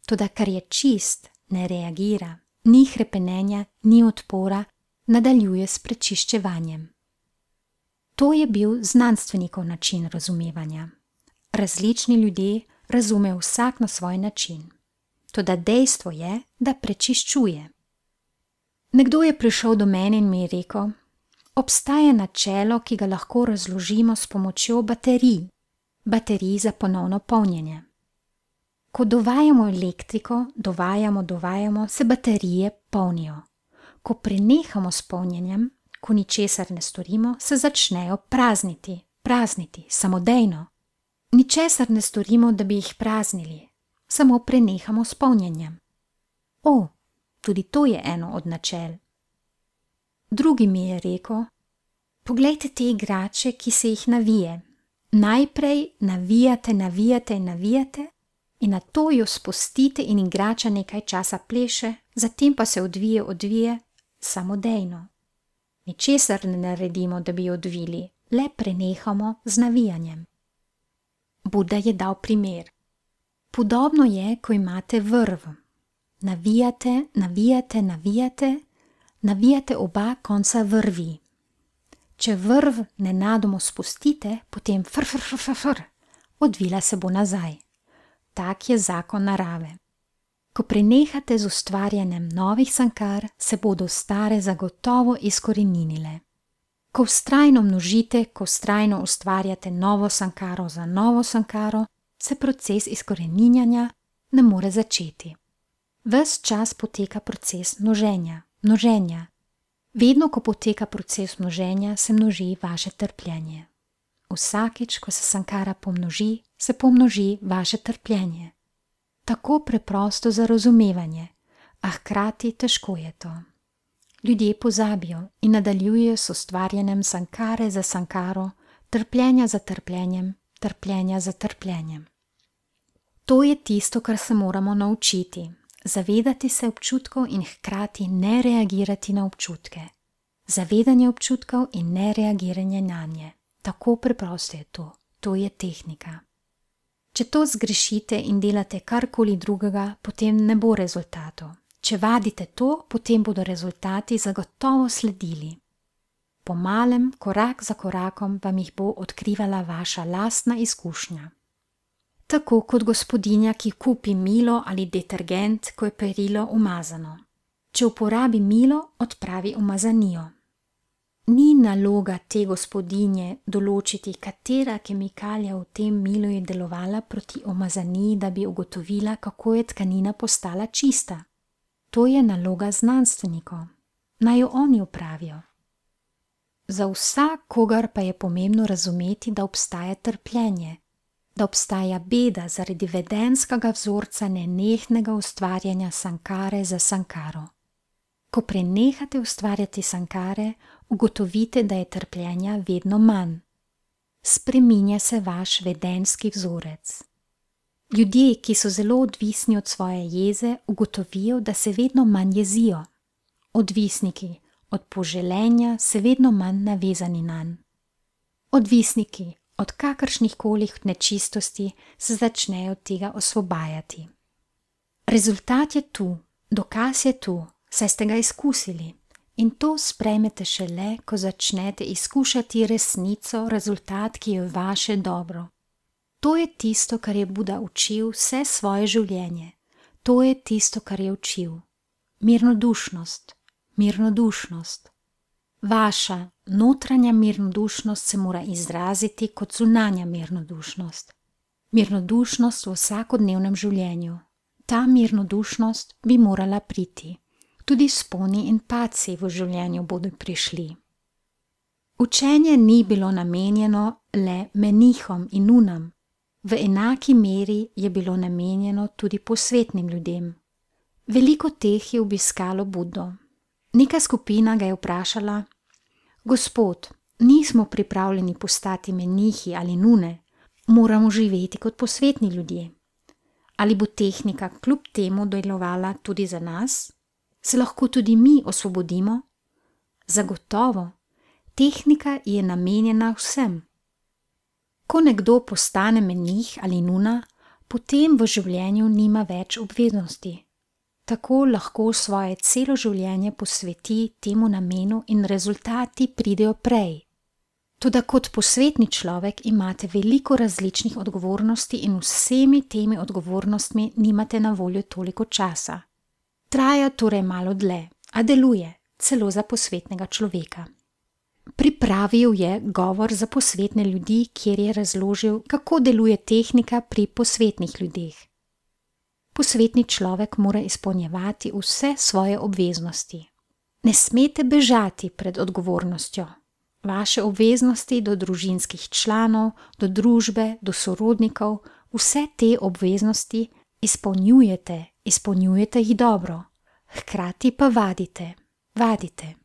Toda kar je čist, ne reagira, ni hrepenenja, ni odpora, nadaljuje s prečiščevanjem. To je bil znanstvenikov način razumevanja. Različni ljudje razumejo vsak na svoj način. Toda dejstvo je, da prečiščuje. Nekdo je prišel do mene in mi je rekel: obstaja načelo, ki ga lahko razložimo s pomočjo baterij, baterij za ponovno polnjenje. Ko dovajamo elektriko, dovajamo, dovajamo, se baterije polnijo. Ko prenehamo s polnjenjem, ko ničesar ne storimo, se začnejo prazniti, prazniti, samodejno. Ničesar ne storimo, da bi jih praznili, samo prenehamo s polnjenjem. O, tudi to je eno od načel. Drugi mi je rekel: poglejte te igrače, ki se jih navije. Najprej navijate, navijate in navijate in nato jo spustite in igrača nekaj časa pleše, zatem pa se odvije, odvije samodejno. Ničesar ne naredimo, da bi jo odvili, le prenehamo z navijanjem. Buda je dal primer. Podobno je, ko imate vrv. Navijate, navijate, navijate, navijate oba konca vrvi. Če vrv nenadoma spustite, potem fr, fr, fr, fr, fr, odvila se bo nazaj. Tak je zakon narave. Ko prenehate z ustvarjanjem novih sankar, se bodo stare zagotovo izkoreninile. Ko vztrajno množite, ko vztrajno ustvarjate novo sankaro za novo sankaro, se proces izkoreninjanja ne more začeti. Ves čas poteka proces množenja, množenja. Vedno, ko poteka proces množenja, se množi vaše trpljenje. Vsakič, ko se sankara pomnoži, se pomnoži vaše trpljenje. Tako preprosto za razumevanje, a hkrati težko je to. Ljudje pozabijo in nadaljujejo s ustvarjanjem sankare za sankaro, trpljenja za trpljenjem, trpljenja za trpljenjem. To je tisto, kar se moramo naučiti. Zavedati se občutkov in hkrati ne reagirati na občutke. Zavedanje občutkov in ne reagiranje na nje. Tako preprosto je to. To je tehnika. Če to zgrešite in delate karkoli drugega, potem ne bo rezultatov. Če vadite to, potem bodo rezultati zagotovo sledili. Po malem, korak za korakom, vam jih bo odkrivala vaša lastna izkušnja. Tako kot gospodinja, ki kupi milo ali detergent, ko je perilo umazano. Če uporabi milo, odpravi umazanijo. Ni naloga te gospodinje določiti, katera kemikalija v tem milu je delovala proti umazaniji, da bi ugotovila, kako je tkanina postala čista. To je naloga znanstvenikov. Naj jo oni opravijo. Za vsakogar pa je pomembno razumeti, da obstaja trpljenje, da obstaja beda zaradi vedenskega vzorca nenehnega ustvarjanja sankare za sankaro. Ko prenehate ustvarjati sankare, ugotovite, da je trpljenja vedno manj. spreminja se vaš vedenjski vzorec. Ljudje, ki so zelo odvisni od svoje jeze, ugotovijo, da se vedno manj jezijo. Odvisniki od poželenja se vedno manj navezani nanj. Odvisniki od kakršnihkoli nečistosti se začnejo tega osvobajati. Rezultat je tu, dokaz je tu, saj ste ga izkusili. In to sprejmete šele, ko začnete izkušati resnico, rezultat, ki je vaše dobro. To je tisto, kar je Buda učil vse svoje življenje. To je tisto, kar je učil. Mirnodušnost, mirnodušnost. Vaša notranja mirnodušnost se mora izraziti kot zunanja mirnodušnost. Mirnodušnost v vsakodnevnem življenju. Ta mirnodušnost bi morala priti. Tudi sponi in padci v življenju bodo prišli. Učenje ni bilo namenjeno le menihom in nunam. V enaki meri je bilo namenjeno tudi posvetnim ljudem. Veliko teh je obiskalo Budo. Neka skupina ga je vprašala: Gospod, nismo pripravljeni postati menihi ali nune, moramo živeti kot posvetni ljudje. Ali bo tehnika kljub temu delovala tudi za nas? Se lahko tudi mi osvobodimo? Zagotovo, tehnika je namenjena vsem. Ko nekdo postane menih ali nuna, potem v življenju nima več obveznosti. Tako lahko svoje celo življenje posveti temu namenu in rezultati pridejo prej. Toda kot posvetni človek imate veliko različnih odgovornosti in vsemi temi odgovornostmi nimate na voljo toliko časa. Traja torej malo dlje, a deluje, celo za posvetnega človeka. Pripravil je govor za posvetne ljudi, kjer je razložil, kako deluje tehnika pri posvetnih ljudeh. Posvetni človek mora izpolnjevati vse svoje obveznosti. Ne smete bežati pred odgovornostjo. Vaše obveznosti do družinskih članov, do družbe, do sorodnikov, vse te obveznosti izpolnjujete, izpolnjujete jih dobro, hkrati pa vadite, vadite.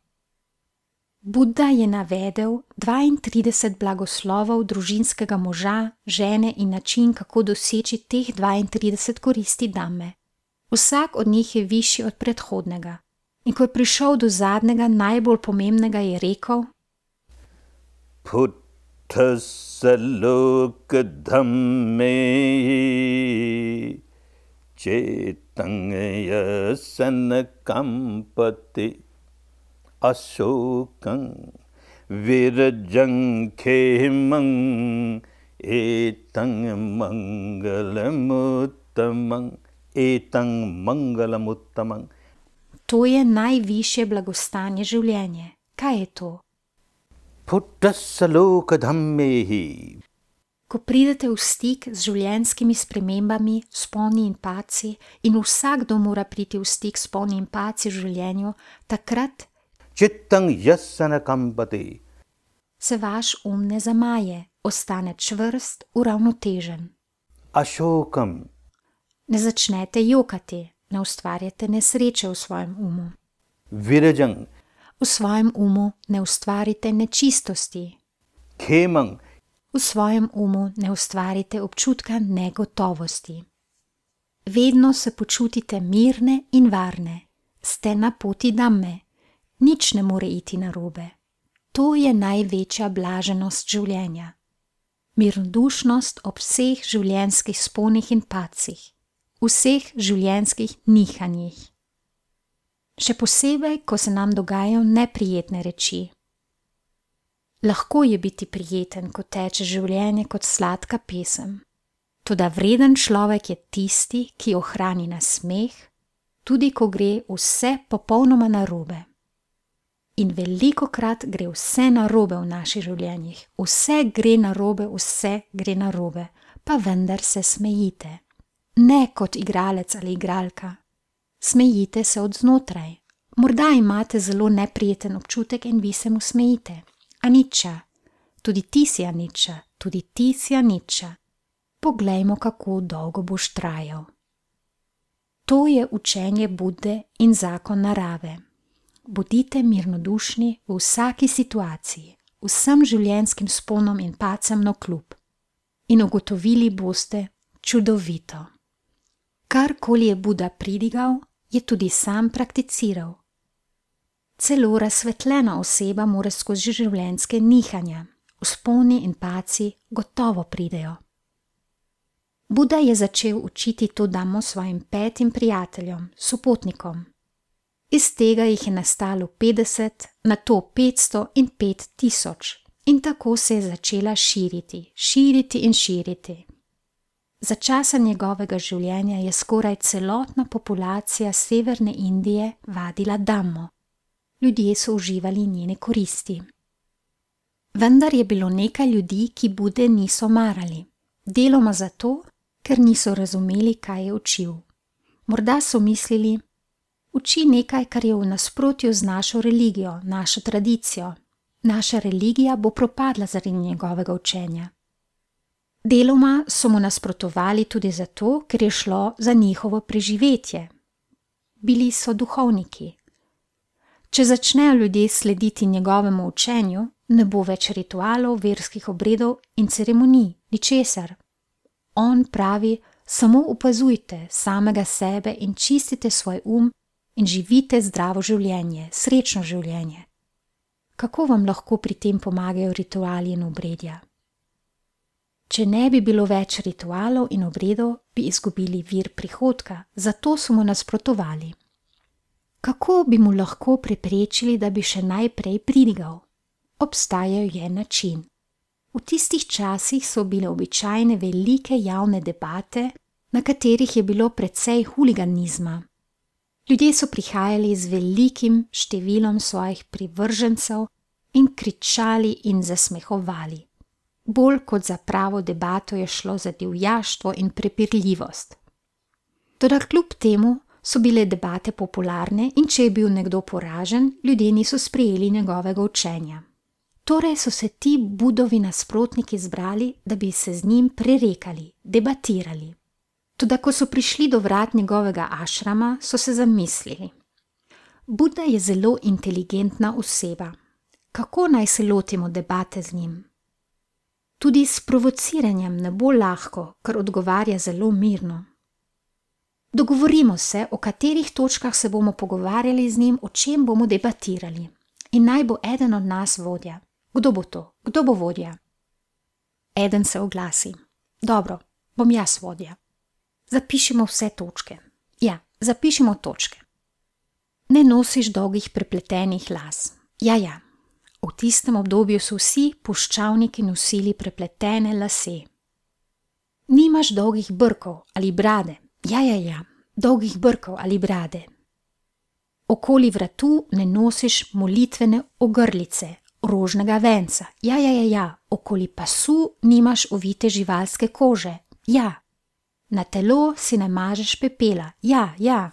Buda je navedel dvaintrideset blagoslovov družinskega moža, žene in način, kako doseči teh dvaintrideset koristi Dhamme. Vsak od njih je višji od predhodnega. In ko je prišel do zadnjega, najbolj pomembnega, je rekel: Puttasa loka dhamme cetang yasana kampati asokang virajang khemang etang mangalamuttamang etang mangalamuttamang. To je najvišje blagostanje življenje. Kaj je to? Puttasa loka dhammehi. Ko pridete v stik z življenjskimi spremembami, sponi in padci, in vsakdo mora priti v stik s sponi in padci v življenju, takrat Cittang yasana kampati. Se vaš um ne zamaje, ostane čvrst, uravnotežen. Ashokam. Ne začnete jokati, ne ustvarjate nesreče v svojem umu. Virajang. V svojem umu ne ustvarite nečistosti. Khemang. V svojem umu ne ustvarite občutka negotovosti. Vedno se počutite mirne in varne. Ste na poti Dhamme. Nič ne more iti narobe. To je največja blaženost življenja. Mirnodušnost ob vseh življenjskih sponih in padcih, vseh življenjskih nihanjih. Še posebej, ko se nam dogajajo neprijetne reči. Lahko je biti prijeten, ko teče življenje kot sladka pesem. Toda vreden človek je tisti, ki ohrani nasmeh, tudi ko gre vse popolnoma narobe. In velikokrat gre vse narobe v naših življenjih. Vse gre narobe, vse gre narobe, pa vendar se smejite. Ne kot igralec ali igralka. Smejite se od znotraj. Morda imate zelo neprijeten občutek in vi se mu smejite. Anicca, tudi ti si anicca, tudi ti si anicca. Poglejmo, kako dolgo boš trajal. To je učenje Budde in zakon narave. Bodite mirnodušni v vsaki situaciji, vsem življenjskim sponom in padcem navkljub. In ugotovili boste čudovito. Karkoli je Buda pridigal, je tudi sam prakticiral. Celo razsvetljena oseba mora skozi življenjske nihanja, vzponi in padci gotovo pridejo. Buda je začel učiti to damo svojim petim prijateljem, sopotnikom. Iz tega jih je nastalo petdeset, nato petsto in pet tisoč. In tako se je začela širiti, širiti in širiti. Za časa njegovega življenja je skoraj celotna populacija severne Indije vadila damo. Ljudje so uživali njene koristi. Vendar je bilo nekaj ljudi, ki Bude niso marali. Deloma zato, ker niso razumeli, kaj je učil. Morda so mislili, uči nekaj, kar je v nasprotju z našo religijo, našo tradicijo. Naša religija bo propadla zaradi njegovega učenja. Deloma so mu nasprotovali tudi zato, ker je šlo za njihovo preživetje. Bili so duhovniki. Če začnejo ljudje slediti njegovemu učenju, ne bo več ritualov, verskih obredov in ceremonij, ničesar. On pravi, samo opazujte samega sebe in čistite svoj um in živite zdravo življenje, srečno življenje. Kako vam lahko pri tem pomagajo rituali in obredja? Če ne bi bilo več ritualov in obredov, bi izgubili vir prihodka, zato so mu nasprotovali. Kako bi mu lahko preprečili, da bi še najprej pridigal? Obstajal je način. V tistih časih so bile običajne velike javne debate, na katerih je bilo precej huliganizma. Ljudje so prihajali z velikim številom svojih privržencev in kričali in zasmehovali. Bolj kot za pravo debato je šlo za divjaštvo in prepirljivost. Toda kljub temu so bile debate popularne in če je bil nekdo poražen, ljudje niso sprejeli njegovega učenja. Torej so se ti Budovi nasprotniki zbrali, da bi se z njim prerekali, debatirali. Toda ko so prišli do vrat njegovega ašrama, so se zamislili. Buda je zelo inteligentna oseba. Kako naj se lotimo debate z njim? Tudi s provociranjem ne bo lahko, ker odgovarja zelo mirno. Dogovorimo se, o katerih točkah se bomo pogovarjali z njim, o čem bomo debatirali. In naj bo eden od nas vodja. Kdo bo to? Kdo bo vodja? Eden se oglasi. Dobro, bom jaz vodja. Zapišimo vse točke. Ja, zapišimo točke. Ne nosiš dolgih prepletenih las. Ja, ja. V tistem obdobju so vsi puščavniki nosili prepletene lase. Nimaš dolgih brkov ali brade. Ja, ja, ja. Dolgih brkov ali brade. Okoli vratu ne nosiš molitvene ogrlice, rožnega venca. Ja, ja, ja, ja. Okoli pasu nimaš ovite živalske kože. Ja. Na telo si ne mažeš pepela. Ja, ja.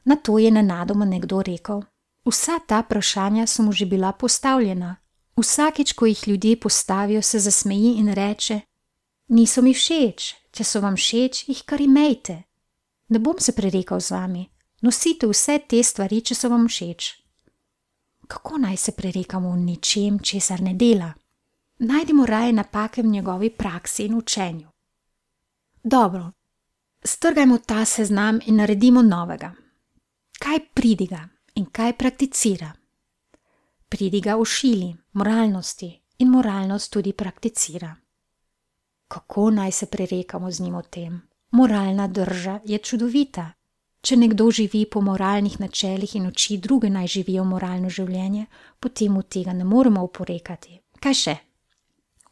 Na to je nenadoma nekdo rekel. Vsa ta vprašanja so mu že bila postavljena. Vsakič, ko jih ljudje postavijo, se zasmeji in reče: niso mi všeč, če so vam všeč, jih kar imejte. Ne bom se prerekal z vami. Nosite vse te stvari, če so vam všeč. Kako naj se prerekamo v ničem, česar ne dela? Najdimo raje napake v njegovi praksi in učenju. Dobro, strgajmo ta seznam in naredimo novega. Kaj pridiga in kaj prakticira? Pridiga o šili, moralnosti in moralnost tudi prakticira. Kako naj se prerekamo z njim o tem? Moralna drža je čudovita. Če nekdo živi po moralnih načelih in uči druge naj živijo moralno življenje, potem od tega ne moremo oporekati. Kaj še?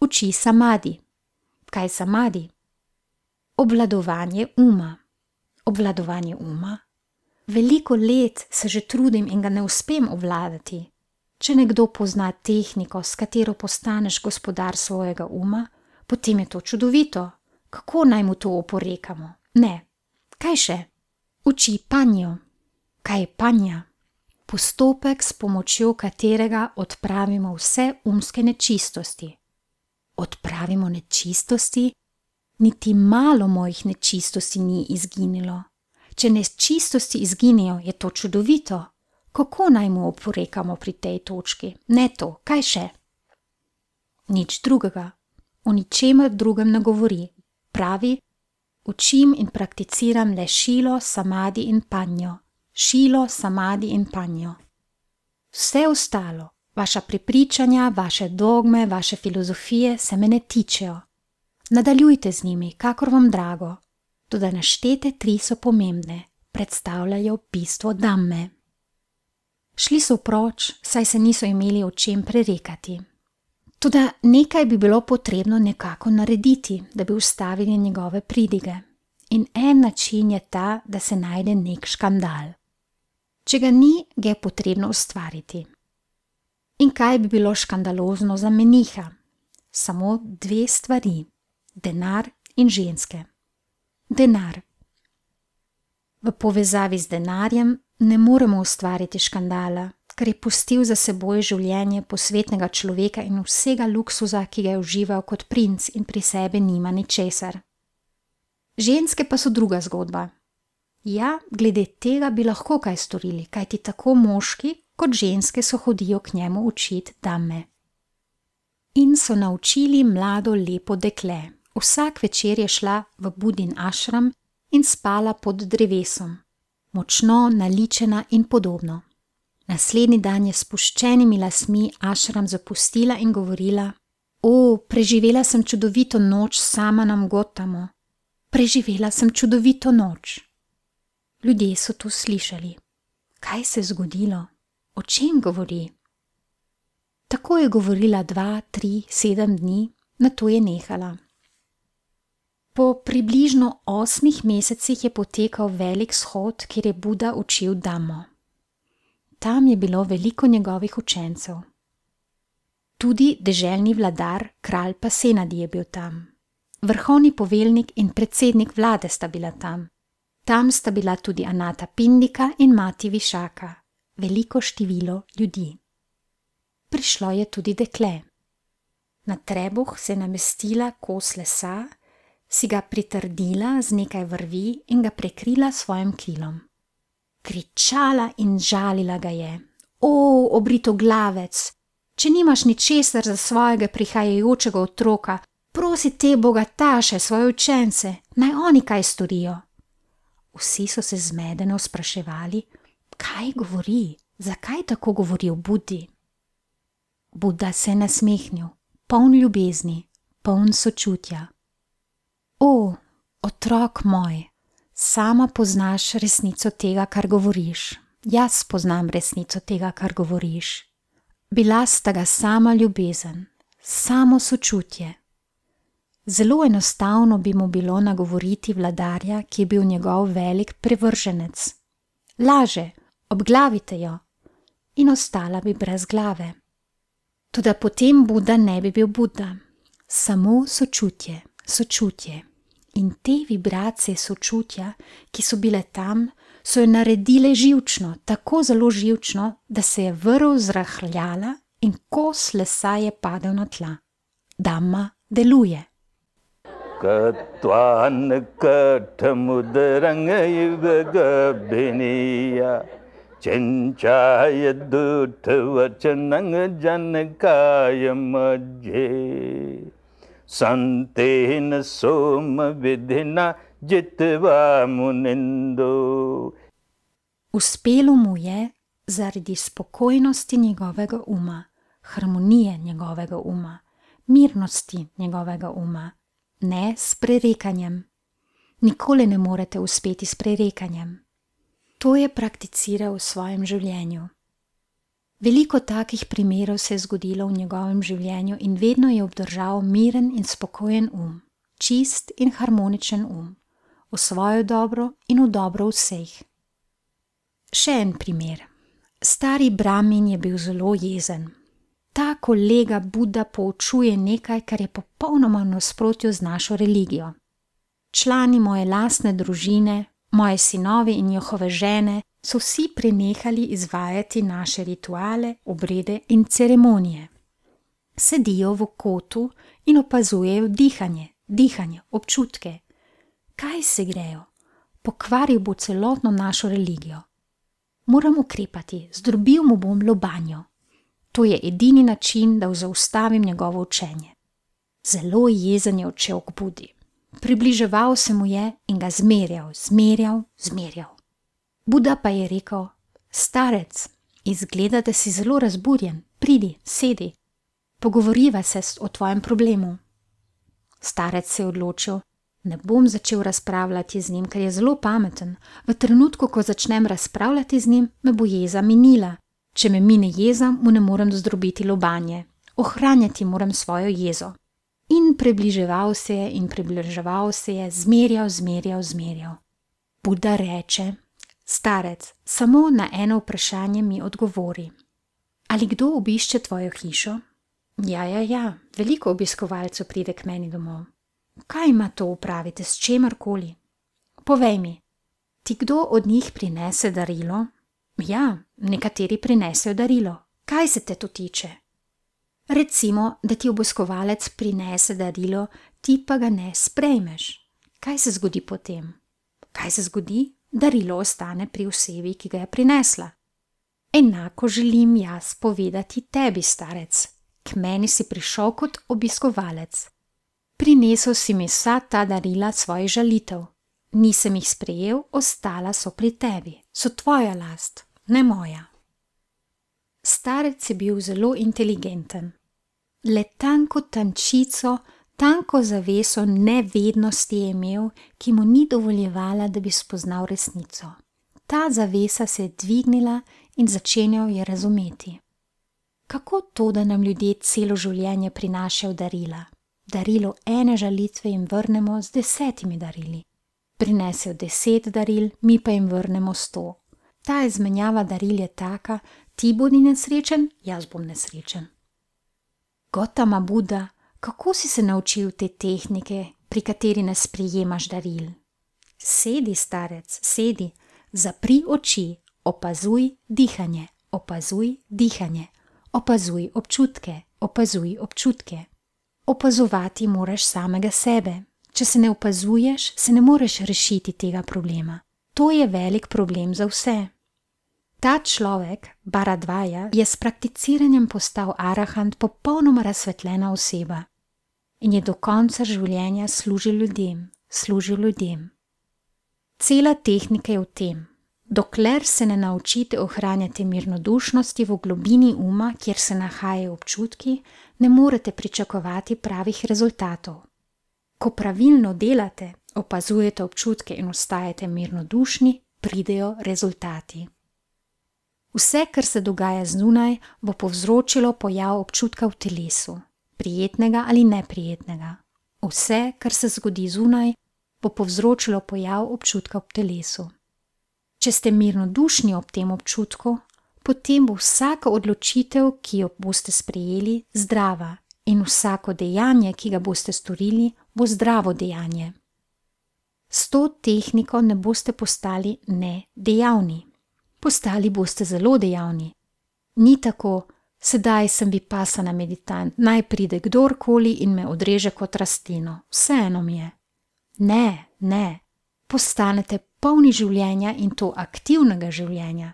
Uči samadi. Kaj samadi? Obvladovanje uma. Obvladovanje uma? Veliko let se že trudim in ga ne uspem obvladati. Če nekdo pozna tehniko, s katero postaneš gospodar svojega uma, potem je to čudovito. Kako naj mu to oporekamo? Ne. Kaj še? Uči panjo. Kaj je panja? Postopek, s pomočjo katerega odpravimo vse umske nečistosti. Odpravimo nečistosti? Niti malo mojih nečistosti ni izginilo. Če nečistosti izginejo, je to čudovito. Kako naj mu oporekamo pri tej točki? Ne to, kaj še? Nič drugega, o ničemer drugem ne govori. Pravi, učim in prakticiram le šilo, samadi in panjo. Šilo, samadi in panjo. Vse ostalo, vaša prepričanja, vaše dogme, vaše filozofije se me ne tičejo. Nadaljujte z njimi, kakor vam drago. Toda naštete tri so pomembne, predstavljajo bistvo Dhamme. Šli so proč, saj se niso imeli o čem prerekati. Toda nekaj bi bilo potrebno nekako narediti, da bi ustavili njegove pridige. In en način je ta, da se najde nek škandal. Če ga ni, ga je potrebno ustvariti. In kaj bi bilo škandalozno za meniha? Samo dve stvari, denar in ženske. Denar. V povezavi z denarjem ne moremo ustvariti škandala, ker je pustil za seboj življenje posvetnega človeka in vsega luksuza, ki ga je užival kot princ in pri sebi nima ničesar. Ženske pa so druga zgodba. Ja, glede tega bi lahko kaj storili, kajti tako moški kot ženske so hodijo k njemu učit Dhamme. In so naučili mlado lepo dekle. Vsak večer je šla v Budin ašram in spala pod drevesom, močno naličena in podobno. Naslednji dan je s spuščenimi lasmi ašram zapustila in govorila: O, preživela sem čudovito noč sama na Gotamo. Preživela sem čudovito noč. Ljudje so to slišali. Kaj se je zgodilo? O čem govori? Tako je govorila dva, tri, sedem dni, nato je nehala. Po približno osmih mesecih je potekal velik shod, kjer je Buda učil Dhammo. Tam je bilo veliko njegovih učencev. Tudi deželni vladar, kralj Pasenadi je bil tam. Vrhovni poveljnik in predsednik vlade sta bila tam. Tam sta bila tudi Anata Pindika in mati Višaka, veliko število ljudi. Prišlo je tudi dekle. Na trebuh se je namestila kos lesa, si ga pritrdila z nekaj vrvi in ga prekrila s svojim krilom. Kričala in žalila ga je: O, obritoglavec, če nimaš ničesar za svojega prihajajočega otroka, prosi te bogataše, svoje učence, naj oni kaj storijo. Vsi so se zmedeno spraševali, kaj govori, zakaj tako govori o Budi. Buda se je nasmehnil, poln ljubezni, poln sočutja. O, otrok moj, sama poznaš resnico tega, kar govoriš. Jaz poznam resnico tega, kar govoriš. Bila sta ga sama ljubezen, samo sočutje. Zelo enostavno bi mu bilo nagovoriti vladarja, ki je bil njegov velik privrženec. Laže, obglavite jo, in ostala bi brez glave. Toda potem Buda ne bi bil Buda, samo sočutje, sočutje. In te vibracije sočutja, ki so bile tam, so jo naredile živčno, tako zelo živčno, da se je vrv zrahljala in kos lesa je padel na tla. Dhamma deluje. Katvan kathamudrang yugabiniya Chanchaya duttavachanang janakaya majje Santena soma vidhina jitva munindo. Uspelo mu je zaradi spokojnosti njegovega uma, harmonije njegovega uma, mirnosti njegovega uma, ne s prerekanjem. Nikoli ne morete uspeti s prerekanjem. To je prakticiral v svojem življenju. Veliko takih primerov se je zgodilo v njegovem življenju in vedno je obdržal miren in spokojen um, čist in harmoničen um, v svojo dobro in v dobro vseh. Še en primer. Stari Brahmin je bil zelo jezen. Ta kolega Buda poučuje nekaj, kar je popolnoma v nasprotju z našo religijo. Člani moje lastne družine, moji sinovi in njihove žene so vsi prenehali izvajati naše rituale, obrede in ceremonije. Sedijo v kotu in opazujejo dihanje, dihanje, občutke. Kaj se grejo? Pokvaril bo celotno našo religijo. Moram ukrepati, zdrobil mu bom lobanjo. To je edini način, da zaustavim njegovo učenje. Zelo jezen je odšel k Budi. Približeval se mu je in ga zmerjal, zmerjal, zmerjal. Buda pa je rekel: starec, izgleda, da si zelo razburjen, pridi, sedi. Pogovoriva se o tvojem problemu. Starec se je odločil: ne bom začel razpravljati z njim, ker je zelo pameten. V trenutku, ko začnem razpravljati z njim, me bo jeza minila. Če me mine jeza, mu ne morem zdrobiti lobanje. Ohranjati moram svojo jezo. In približeval se je in približeval se je, zmerjal, zmerjal, zmerjal. Buda reče: starec, samo na eno vprašanje mi odgovori. Ali kdo obišče tvojo hišo? Ja, ja, ja, veliko obiskovalcev pride k meni domov. Kaj ima to upraviti s čemarkoli? Povej mi, ti kdo od njih prinese darilo? Ja, nekateri prinesejo darilo. Kaj se te to tiče? Recimo, da ti obiskovalec prinese darilo, ti pa ga ne sprejmeš. Kaj se zgodi potem? Kaj se zgodi? Darilo ostane pri osebi, ki ga je prinesla. Enako želim jaz povedati tebi, starec. K meni si prišel kot obiskovalec. Prinesel si mi vsa ta darila svojih žalitev. Nisem jih sprejel, ostala so pri tebi. So tvoja last, ne moja. Starec je bil zelo inteligenten. Le tanko tančico, tanko zaveso nevednosti je imel, ki mu ni dovoljevala, da bi spoznal resnico. Ta zavesa se je dvignila in začenjal je razumeti. Kako to, da nam ljudje celo življenje prinašajo darila? Darilo ene žalitve jim vrnemo z desetimi darili. Prinesejo deset daril, mi pa jim vrnemo sto. Ta izmenjava daril je taka: ti bodi nesrečen, jaz bom nesrečen. Gotama Buda, kako si se naučil te tehnike, pri kateri ne sprejemaš daril? Sedi, starec, sedi, zapri oči, opazuj dihanje, opazuj dihanje, opazuj občutke, opazuj občutke. Opazovati moraš samega sebe. Če se ne opazuješ, se ne moreš rešiti tega problema. To je velik problem za vse. Ta človek, Bharadvaja, je s prakticiranjem postal arahant, popolnoma razsvetljena oseba in je do konca življenja služil ljudem, služil ljudem. Cela tehnika je v tem: dokler se ne naučite ohranjati mirnodušnosti v globini uma, kjer se nahajajo občutki, ne morete pričakovati pravih rezultatov. Ko pravilno delate, opazujete občutke in ostajate mirnodušni, pridejo rezultati. Vse, kar se dogaja zunaj, bo povzročilo pojav občutka v telesu, prijetnega ali neprijetnega. Vse, kar se zgodi zunaj, bo povzročilo pojav občutka v telesu. Če ste mirnodušni ob tem občutku, potem bo vsaka odločitev, ki jo boste sprejeli, zdrava in vsako dejanje, ki ga boste storili, bo zdravo dejanje. S to tehniko ne boste postali nedejavni. Postali boste zelo dejavni. Ni tako: sedaj sem vipassana meditant, naj pride kdorkoli in me odreže kot rastlino, vseeno mi je. Ne, ne. Postanete polni življenja in to aktivnega življenja.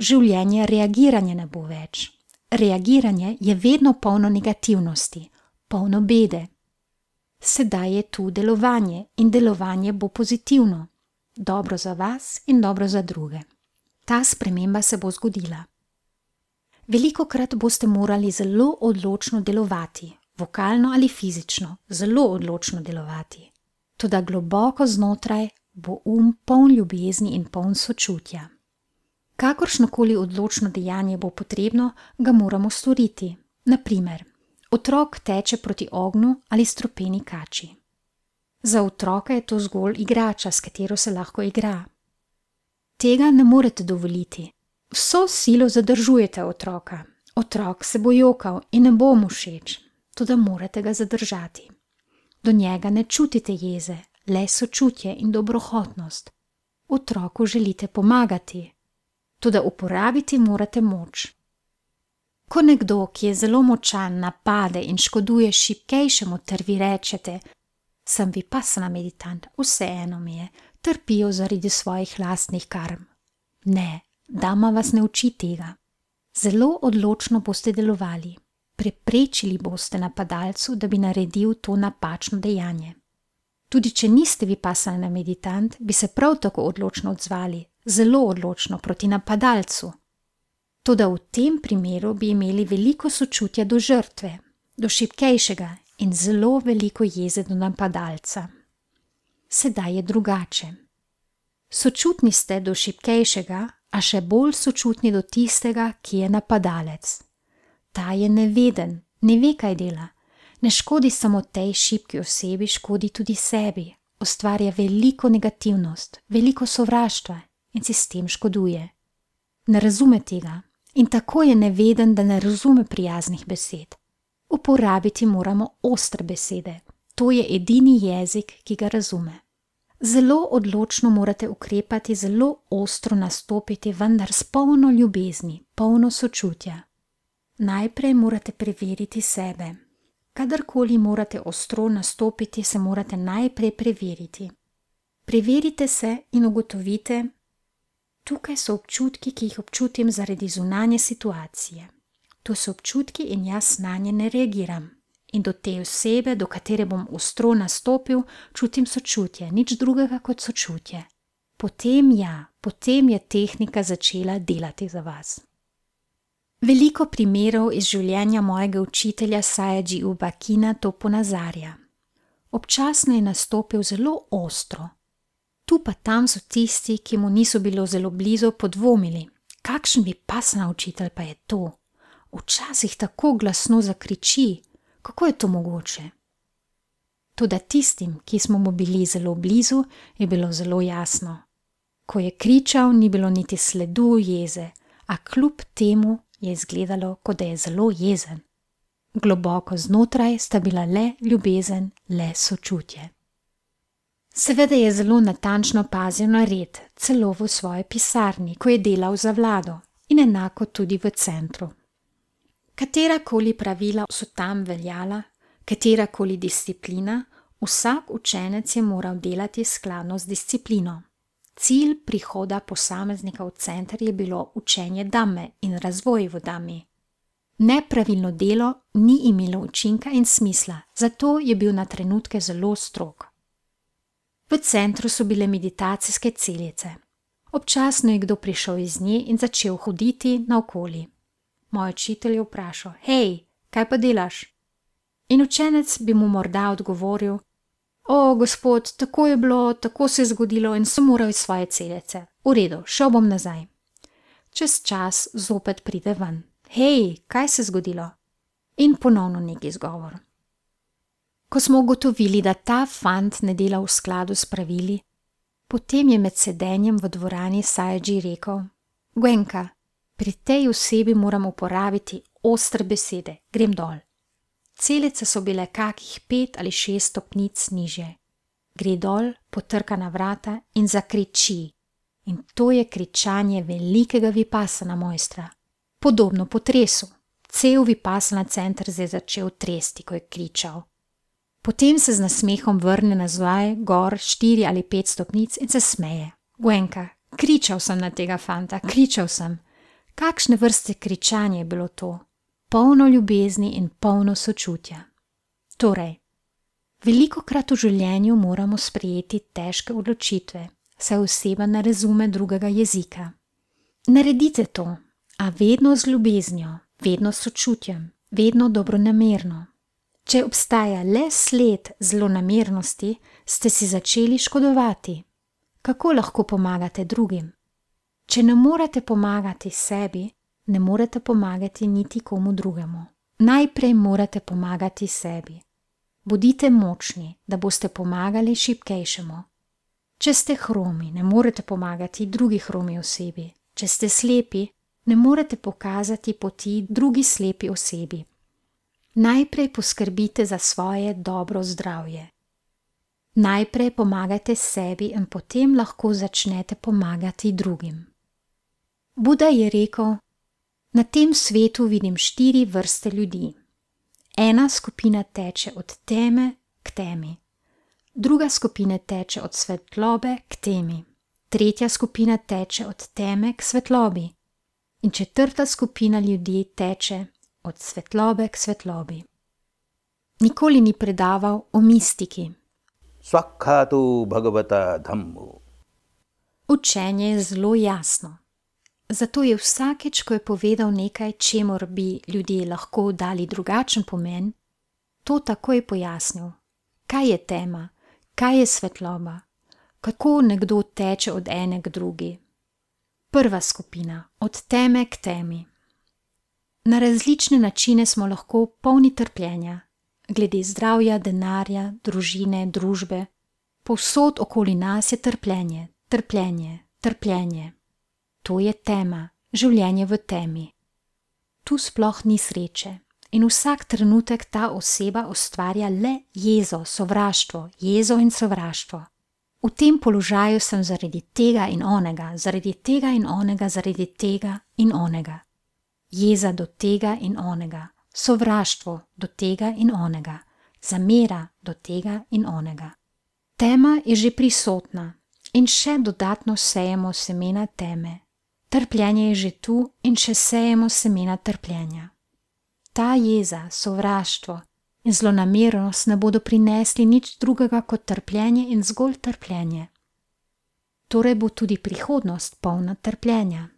Življenje reagiranja ne bo več. Reagiranje je vedno polno negativnosti, polno bede. Sedaj je tu delovanje in delovanje bo pozitivno. Dobro za vas in dobro za druge. Ta sprememba se bo zgodila. Velikokrat boste morali zelo odločno delovati, vokalno ali fizično, zelo odločno delovati. Toda globoko znotraj bo um poln ljubezni in poln sočutja. Kakršnokoli odločno dejanje bo potrebno, ga moramo storiti. Na primer, otrok teče proti ognju ali strupeni kači. Za otroka je to zgolj igrača, s katero se lahko igra. Tega ne morete dovoliti. Vso silo zadržujete otroka. Otrok se bo jokal in ne bo mu všeč, toda morate ga zadržati. Do njega ne čutite jeze, le sočutje in dobrohotnost. Otroku želite pomagati, toda uporabiti morate moč. Ko nekdo, ki je zelo močan, napade in škoduje šibkejšemu, ter vi rečete: sem vipassana meditant, vseeno mi je, trpijo zaradi svojih lastnih karm. Ne, Dama vas ne uči tega. Zelo odločno boste delovali. Preprečili boste napadalcu, da bi naredil to napačno dejanje. Tudi če niste vipassana meditant, bi se prav tako odločno odzvali, zelo odločno proti napadalcu. Toda v tem primeru bi imeli veliko sočutja do žrtve, do šibkejšega in zelo veliko jeze do napadalca. Sedaj je drugače. Sočutni ste do šibkejšega, a še bolj sočutni do tistega, ki je napadalec. Ta je neveden, ne ve, kaj dela. Ne škodi samo tej šibki osebi, škodi tudi sebi. Ustvarja veliko negativnost, veliko sovraštva in si s tem škoduje. Ne razume tega in tako je neveden, da ne razume prijaznih besed. Uporabiti moramo ostre besede. To je edini jezik, ki ga razume. Zelo odločno morate ukrepati, zelo ostro nastopiti, vendar s polno ljubezni, polno sočutja. Najprej morate preveriti sebe. Kadarkoli morate ostro nastopiti, se morate najprej preveriti. Preverite se in ugotovite, tukaj so občutki, ki jih občutim zaradi zunanje situacije. To so občutki in jaz nanje ne reagiram. In do te osebe, do katere bom ostro nastopil, čutim sočutje, nič drugega kot sočutje. Potem ja, potem je tehnika začela delati za vas. Veliko primerov iz življenja mojega učitelja Sayagyi U Bakina to ponazarja. Občasno je nastopil zelo ostro. Tu pa tam so tisti, ki mu niso bilo zelo blizu, podvomili. Kakšen vipassana učitelj pa je to? Včasih tako glasno zakriči. Kako je to mogoče? Toda tistim, ki smo mu bili zelo blizu, je bilo zelo jasno. Ko je kričal, ni bilo niti sledu jeze, a kljub temu je izgledalo, kot da je zelo jezen. Globoko znotraj sta bila le ljubezen, le sočutje. Seveda je zelo natančno pazil na red, celo v svoji pisarni, ko je delal za vlado in enako tudi v centru. Katerakoli pravila so tam veljala, katerakoli disciplina, vsak učenec je moral delati skladno z disciplino. Cilj prihoda posameznika v center je bilo učenje dame in razvoj v dami. Nepravilno delo ni imelo učinka in smisla, zato je bil na trenutke zelo strog. V centru so bile meditacijske celice. Občasno je kdo prišel iz nje in začel hoditi naokoli. Moj učitelj je vprašal, hej, kaj pa delaš? In učenec bi mu morda odgovoril, o, gospod, tako je bilo, tako se je zgodilo in sem moral iz svoje celice. V redu, šel bom nazaj. Čez čas zopet pride ven. Hej, kaj se je zgodilo? In ponovno neki izgovor. Ko smo ugotovili, da ta fant ne dela v skladu s pravili, potem je med sedenjem v dvorani Sayagyi rekel, Gwenka, pri tej osebi moram uporabiti ostre besede, grem dol. Celice so bile kakih pet ali šest stopnic nižje. Gre dol, potrka na vrata in zakriči. In to je kričanje velikega vipassana mojstra. Podobno potresu. Cel vipassana center se je začel tresti, ko je kričal. Potem se z nasmehom vrne nazaj, gor štiri ali pet stopnic in se smeje. Gwenka, kričal sem na tega fanta, kričal sem. Kakšne vrste kričanje je bilo to? Polno ljubezni in polno sočutja. Torej, velikokrat v življenju moramo sprejeti težke odločitve, saj oseba ne razume drugega jezika. Naredite to, a vedno z ljubeznijo, vedno s sočutjem, vedno dobronamerno. Če obstaja le sled zlonamernosti, ste si začeli škodovati. Kako lahko pomagate drugim? Če ne morete pomagati sebi, ne morete pomagati niti komu drugemu. Najprej morate pomagati sebi. Bodite močni, da boste pomagali šibkejšemu. Če ste hromi, ne morete pomagati drugi hromi osebi. Če ste slepi, ne morete pokazati poti drugi slepi osebi. Najprej poskrbite za svoje dobro zdravje. Najprej pomagajte sebi in potem lahko začnete pomagati drugim. Buda je rekel, na tem svetu vidim štiri vrste ljudi. Ena skupina teče od teme k temi. Druga skupina teče od svetlobe k temi. tretja skupina teče od teme k svetlobi in četrta skupina ljudi teče od svetlobe k svetlobi. Nikoli ni predaval o mistiki. Svakhatu bhagavata dhammo. Učenje je zelo jasno. Zato je vsakeč, ko je povedal nekaj, čemur bi ljudje lahko dali drugačen pomen, to takoj pojasnil. Kaj je tema? Kaj je svetloba? Kako nekdo teče od ene k drugi? Prva skupina, od teme k temi. Na različne načine smo lahko polni trpljenja, glede zdravja, denarja, družine, družbe. Povsod okoli nas je trpljenje, trpljenje, trpljenje. To je tema, življenje v temi. Tu sploh ni sreče in vsak trenutek ta oseba ustvarja le jezo, sovraštvo, jezo in sovraštvo. V tem položaju sem zaradi tega in onega, zaradi tega in onega, zaradi tega in onega. Jeza do tega in onega, sovraštvo do tega in onega, zamera do tega in onega. Tema je že prisotna in še dodatno sejemo semena teme. Trpljenje je že tu in še sejemo semena trpljenja. Ta jeza, sovraštvo in zlonamernost ne bodo prinesli nič drugega kot trpljenje in zgolj trpljenje. Torej bo tudi prihodnost polna trpljenja.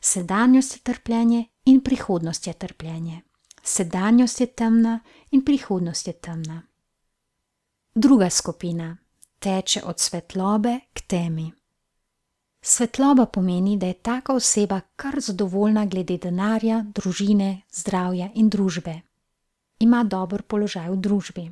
Sedanjost je trpljenje in prihodnost je trpljenje. Sedanjost je temna in prihodnost je temna. Druga skupina teče od svetlobe k temi. Svetloba pomeni, da je taka oseba kar zadovoljna glede denarja, družine, zdravja in družbe. Ima dober položaj v družbi.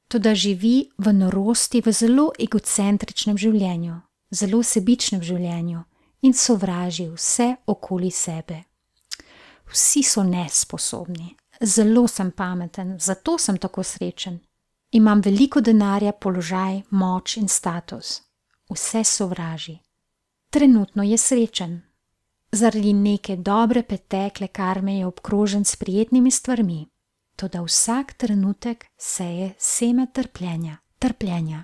Toda živi v norosti, v zelo egocentričnem življenju, zelo sebičnem življenju in sovraži vse okoli sebe. Vsi so nesposobni, zelo sem pameten, zato sem tako srečen. Imam veliko denarja, položaj, moč in status. Vse sovraži. Trenutno je srečen. Zaradi neke dobre pretekle karme je obkrožen s prijetnimi stvarmi, toda vsak trenutek seje seme trpljenja, trpljenja.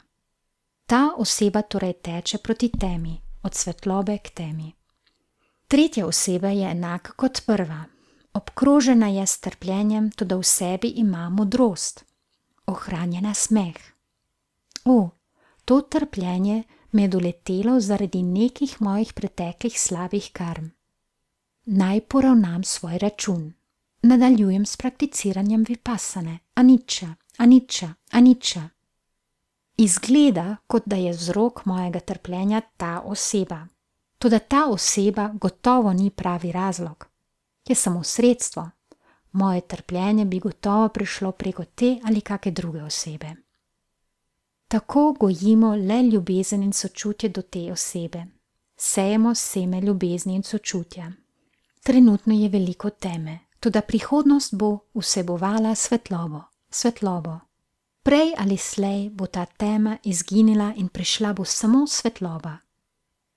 Ta oseba torej teče proti temi, od svetlobe k temi. Tretja oseba je enaka kot prva. Obkrožena je s trpljenjem, toda v sebi ima modrost. Ohranjena smeh. O, to trpljenje me je doletelo zaradi nekih mojih preteklih slabih karm. Naj poravnam svoj račun. Nadaljujem s prakticiranjem vipassane, aniča, aniča, aniča. Izgleda, kot da je vzrok mojega trpljenja ta oseba. Toda ta oseba gotovo ni pravi razlog. Je samo sredstvo. Moje trpljenje bi gotovo prišlo preko te ali kake druge osebe. Tako gojimo le ljubezen in sočutje do te osebe. Sejemo seme ljubezni in sočutja. Trenutno je veliko teme, toda prihodnost bo vsebovala svetlobo, svetlobo. Prej ali slej bo ta tema izginila in prišla bo samo svetloba.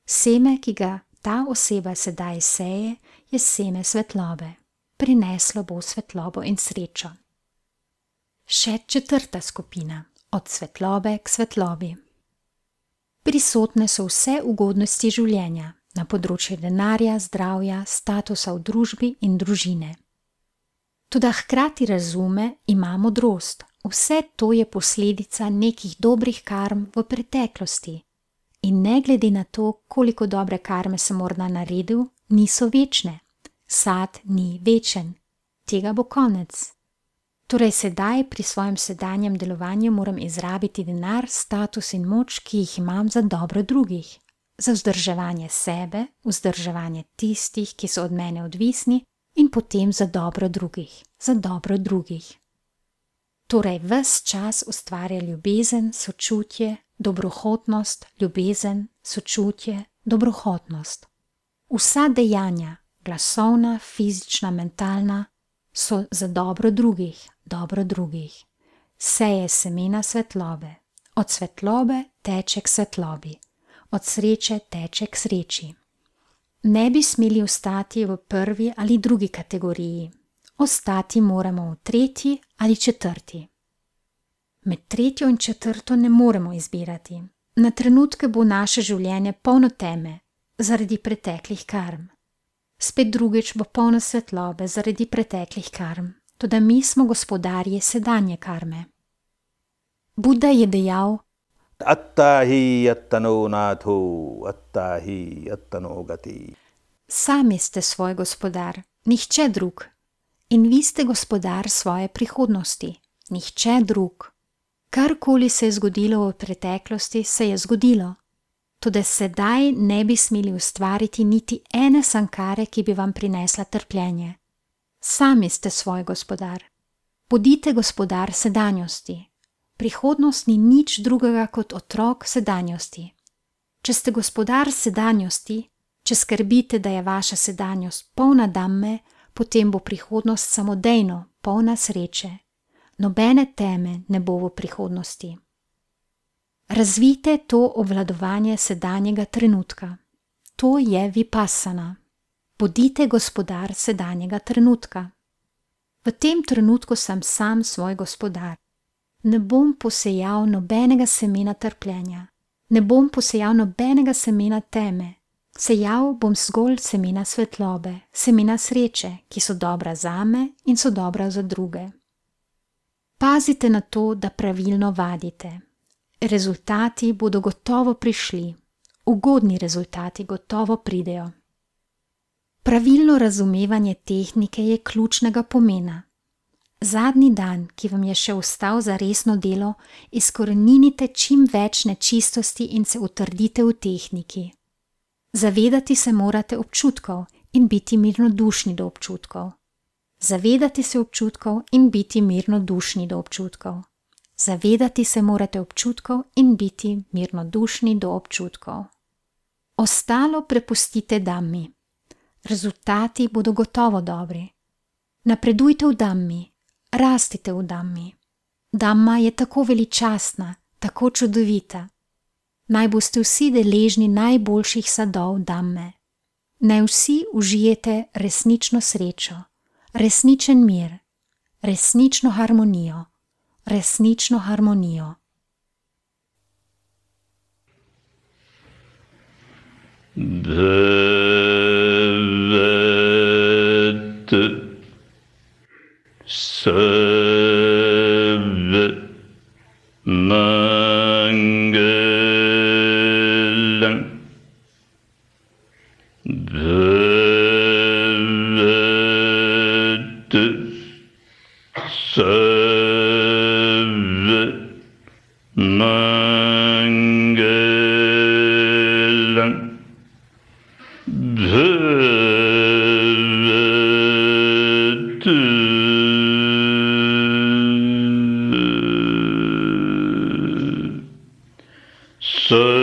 Seme, ki ga ta oseba sedaj seje, je seme svetlobe. Prineslo bo svetlobo in srečo. Še četrta skupina, od svetlobe k svetlobi. Prisotne so vse ugodnosti življenja, na področju denarja, zdravja, statusa v družbi in družine. Toda hkrati razume, ima modrost. Vse to je posledica nekih dobrih karm v preteklosti. In ne glede na to, koliko dobre karme sem morda naredil, niso večne. Sad ni večen. Tega bo konec. Torej sedaj pri svojem sedanjem delovanju moram izrabiti denar, status in moč, ki jih imam za dobro drugih. Za vzdrževanje sebe, vzdrževanje tistih, ki so od mene odvisni in potem za dobro drugih, za dobro drugih. Torej ves čas ustvarja ljubezen, sočutje, dobrohotnost, ljubezen, sočutje, dobrohotnost. Vsa dejanja, glasovna, fizična, mentalna, so za dobro drugih, dobro drugih. Seje semena svetlobe. Od svetlobe teče k svetlobi. Od sreče teče k sreči. Ne bi smeli ostati v prvi ali drugi kategoriji. Ostati moramo v tretji ali četrti. Med tretjo in četrto ne moremo izbirati. Na trenutke bo naše življenje polno teme zaradi preteklih karm. Spet drugič bo polno svetlobe zaradi preteklih karm, toda mi smo gospodarji sedanje karme. Buda je dejal: Attahi attano natho, attahi attano gati. Sami ste svoj gospodar, nihče drug. In vi ste gospodar svoje prihodnosti, nihče drug. Karkoli se je zgodilo v preteklosti, se je zgodilo. Toda sedaj ne bi smeli ustvariti niti ene sankare, ki bi vam prinesla trpljenje. Sami ste svoj gospodar. Bodite gospodar sedanjosti. Prihodnost ni nič drugega kot otrok sedanjosti. Če ste gospodar sedanjosti, če skrbite, da je vaša sedanjost polna damme, potem bo prihodnost samodejno, polna sreče. Nobene teme ne bo v prihodnosti. Razvijte to obvladovanje sedanjega trenutka. To je vipassana. Bodite gospodar sedanjega trenutka. V tem trenutku sem sam svoj gospodar. Ne bom posejal nobenega semena trpljenja. Ne bom posejal nobenega semena teme. Sejal bom zgolj semena svetlobe, semena sreče, ki so dobra zame in so dobra za druge. Pazite na to, da pravilno vadite. Rezultati bodo gotovo prišli. Ugodni rezultati gotovo pridejo. Pravilno razumevanje tehnike je ključnega pomena. Zadnji dan, ki vam je še ostal za resno delo, izkoreninite čim več nečistosti in se utrdite v tehniki. Zavedati se morate občutkov in biti mirnodušni do občutkov. Zavedati se občutkov in biti mirnodušni do občutkov. Zavedati se morate občutkov in biti mirnodušni do občutkov. Ostalo prepustite Dhammi. Rezultati bodo gotovo dobri. Napredujte v Dhammi, rastite v Dhammi. Dhamma je tako veličastna, tako čudovita. Naj boste vsi deležni najboljših sadov Dhamme. Naj vsi užijete resnično srečo, resničen mir, resnično harmonijo, resnično harmonijo. Bhavat Sarva Mangalam Bhavat Sarva Mangalam Bhavat Sarva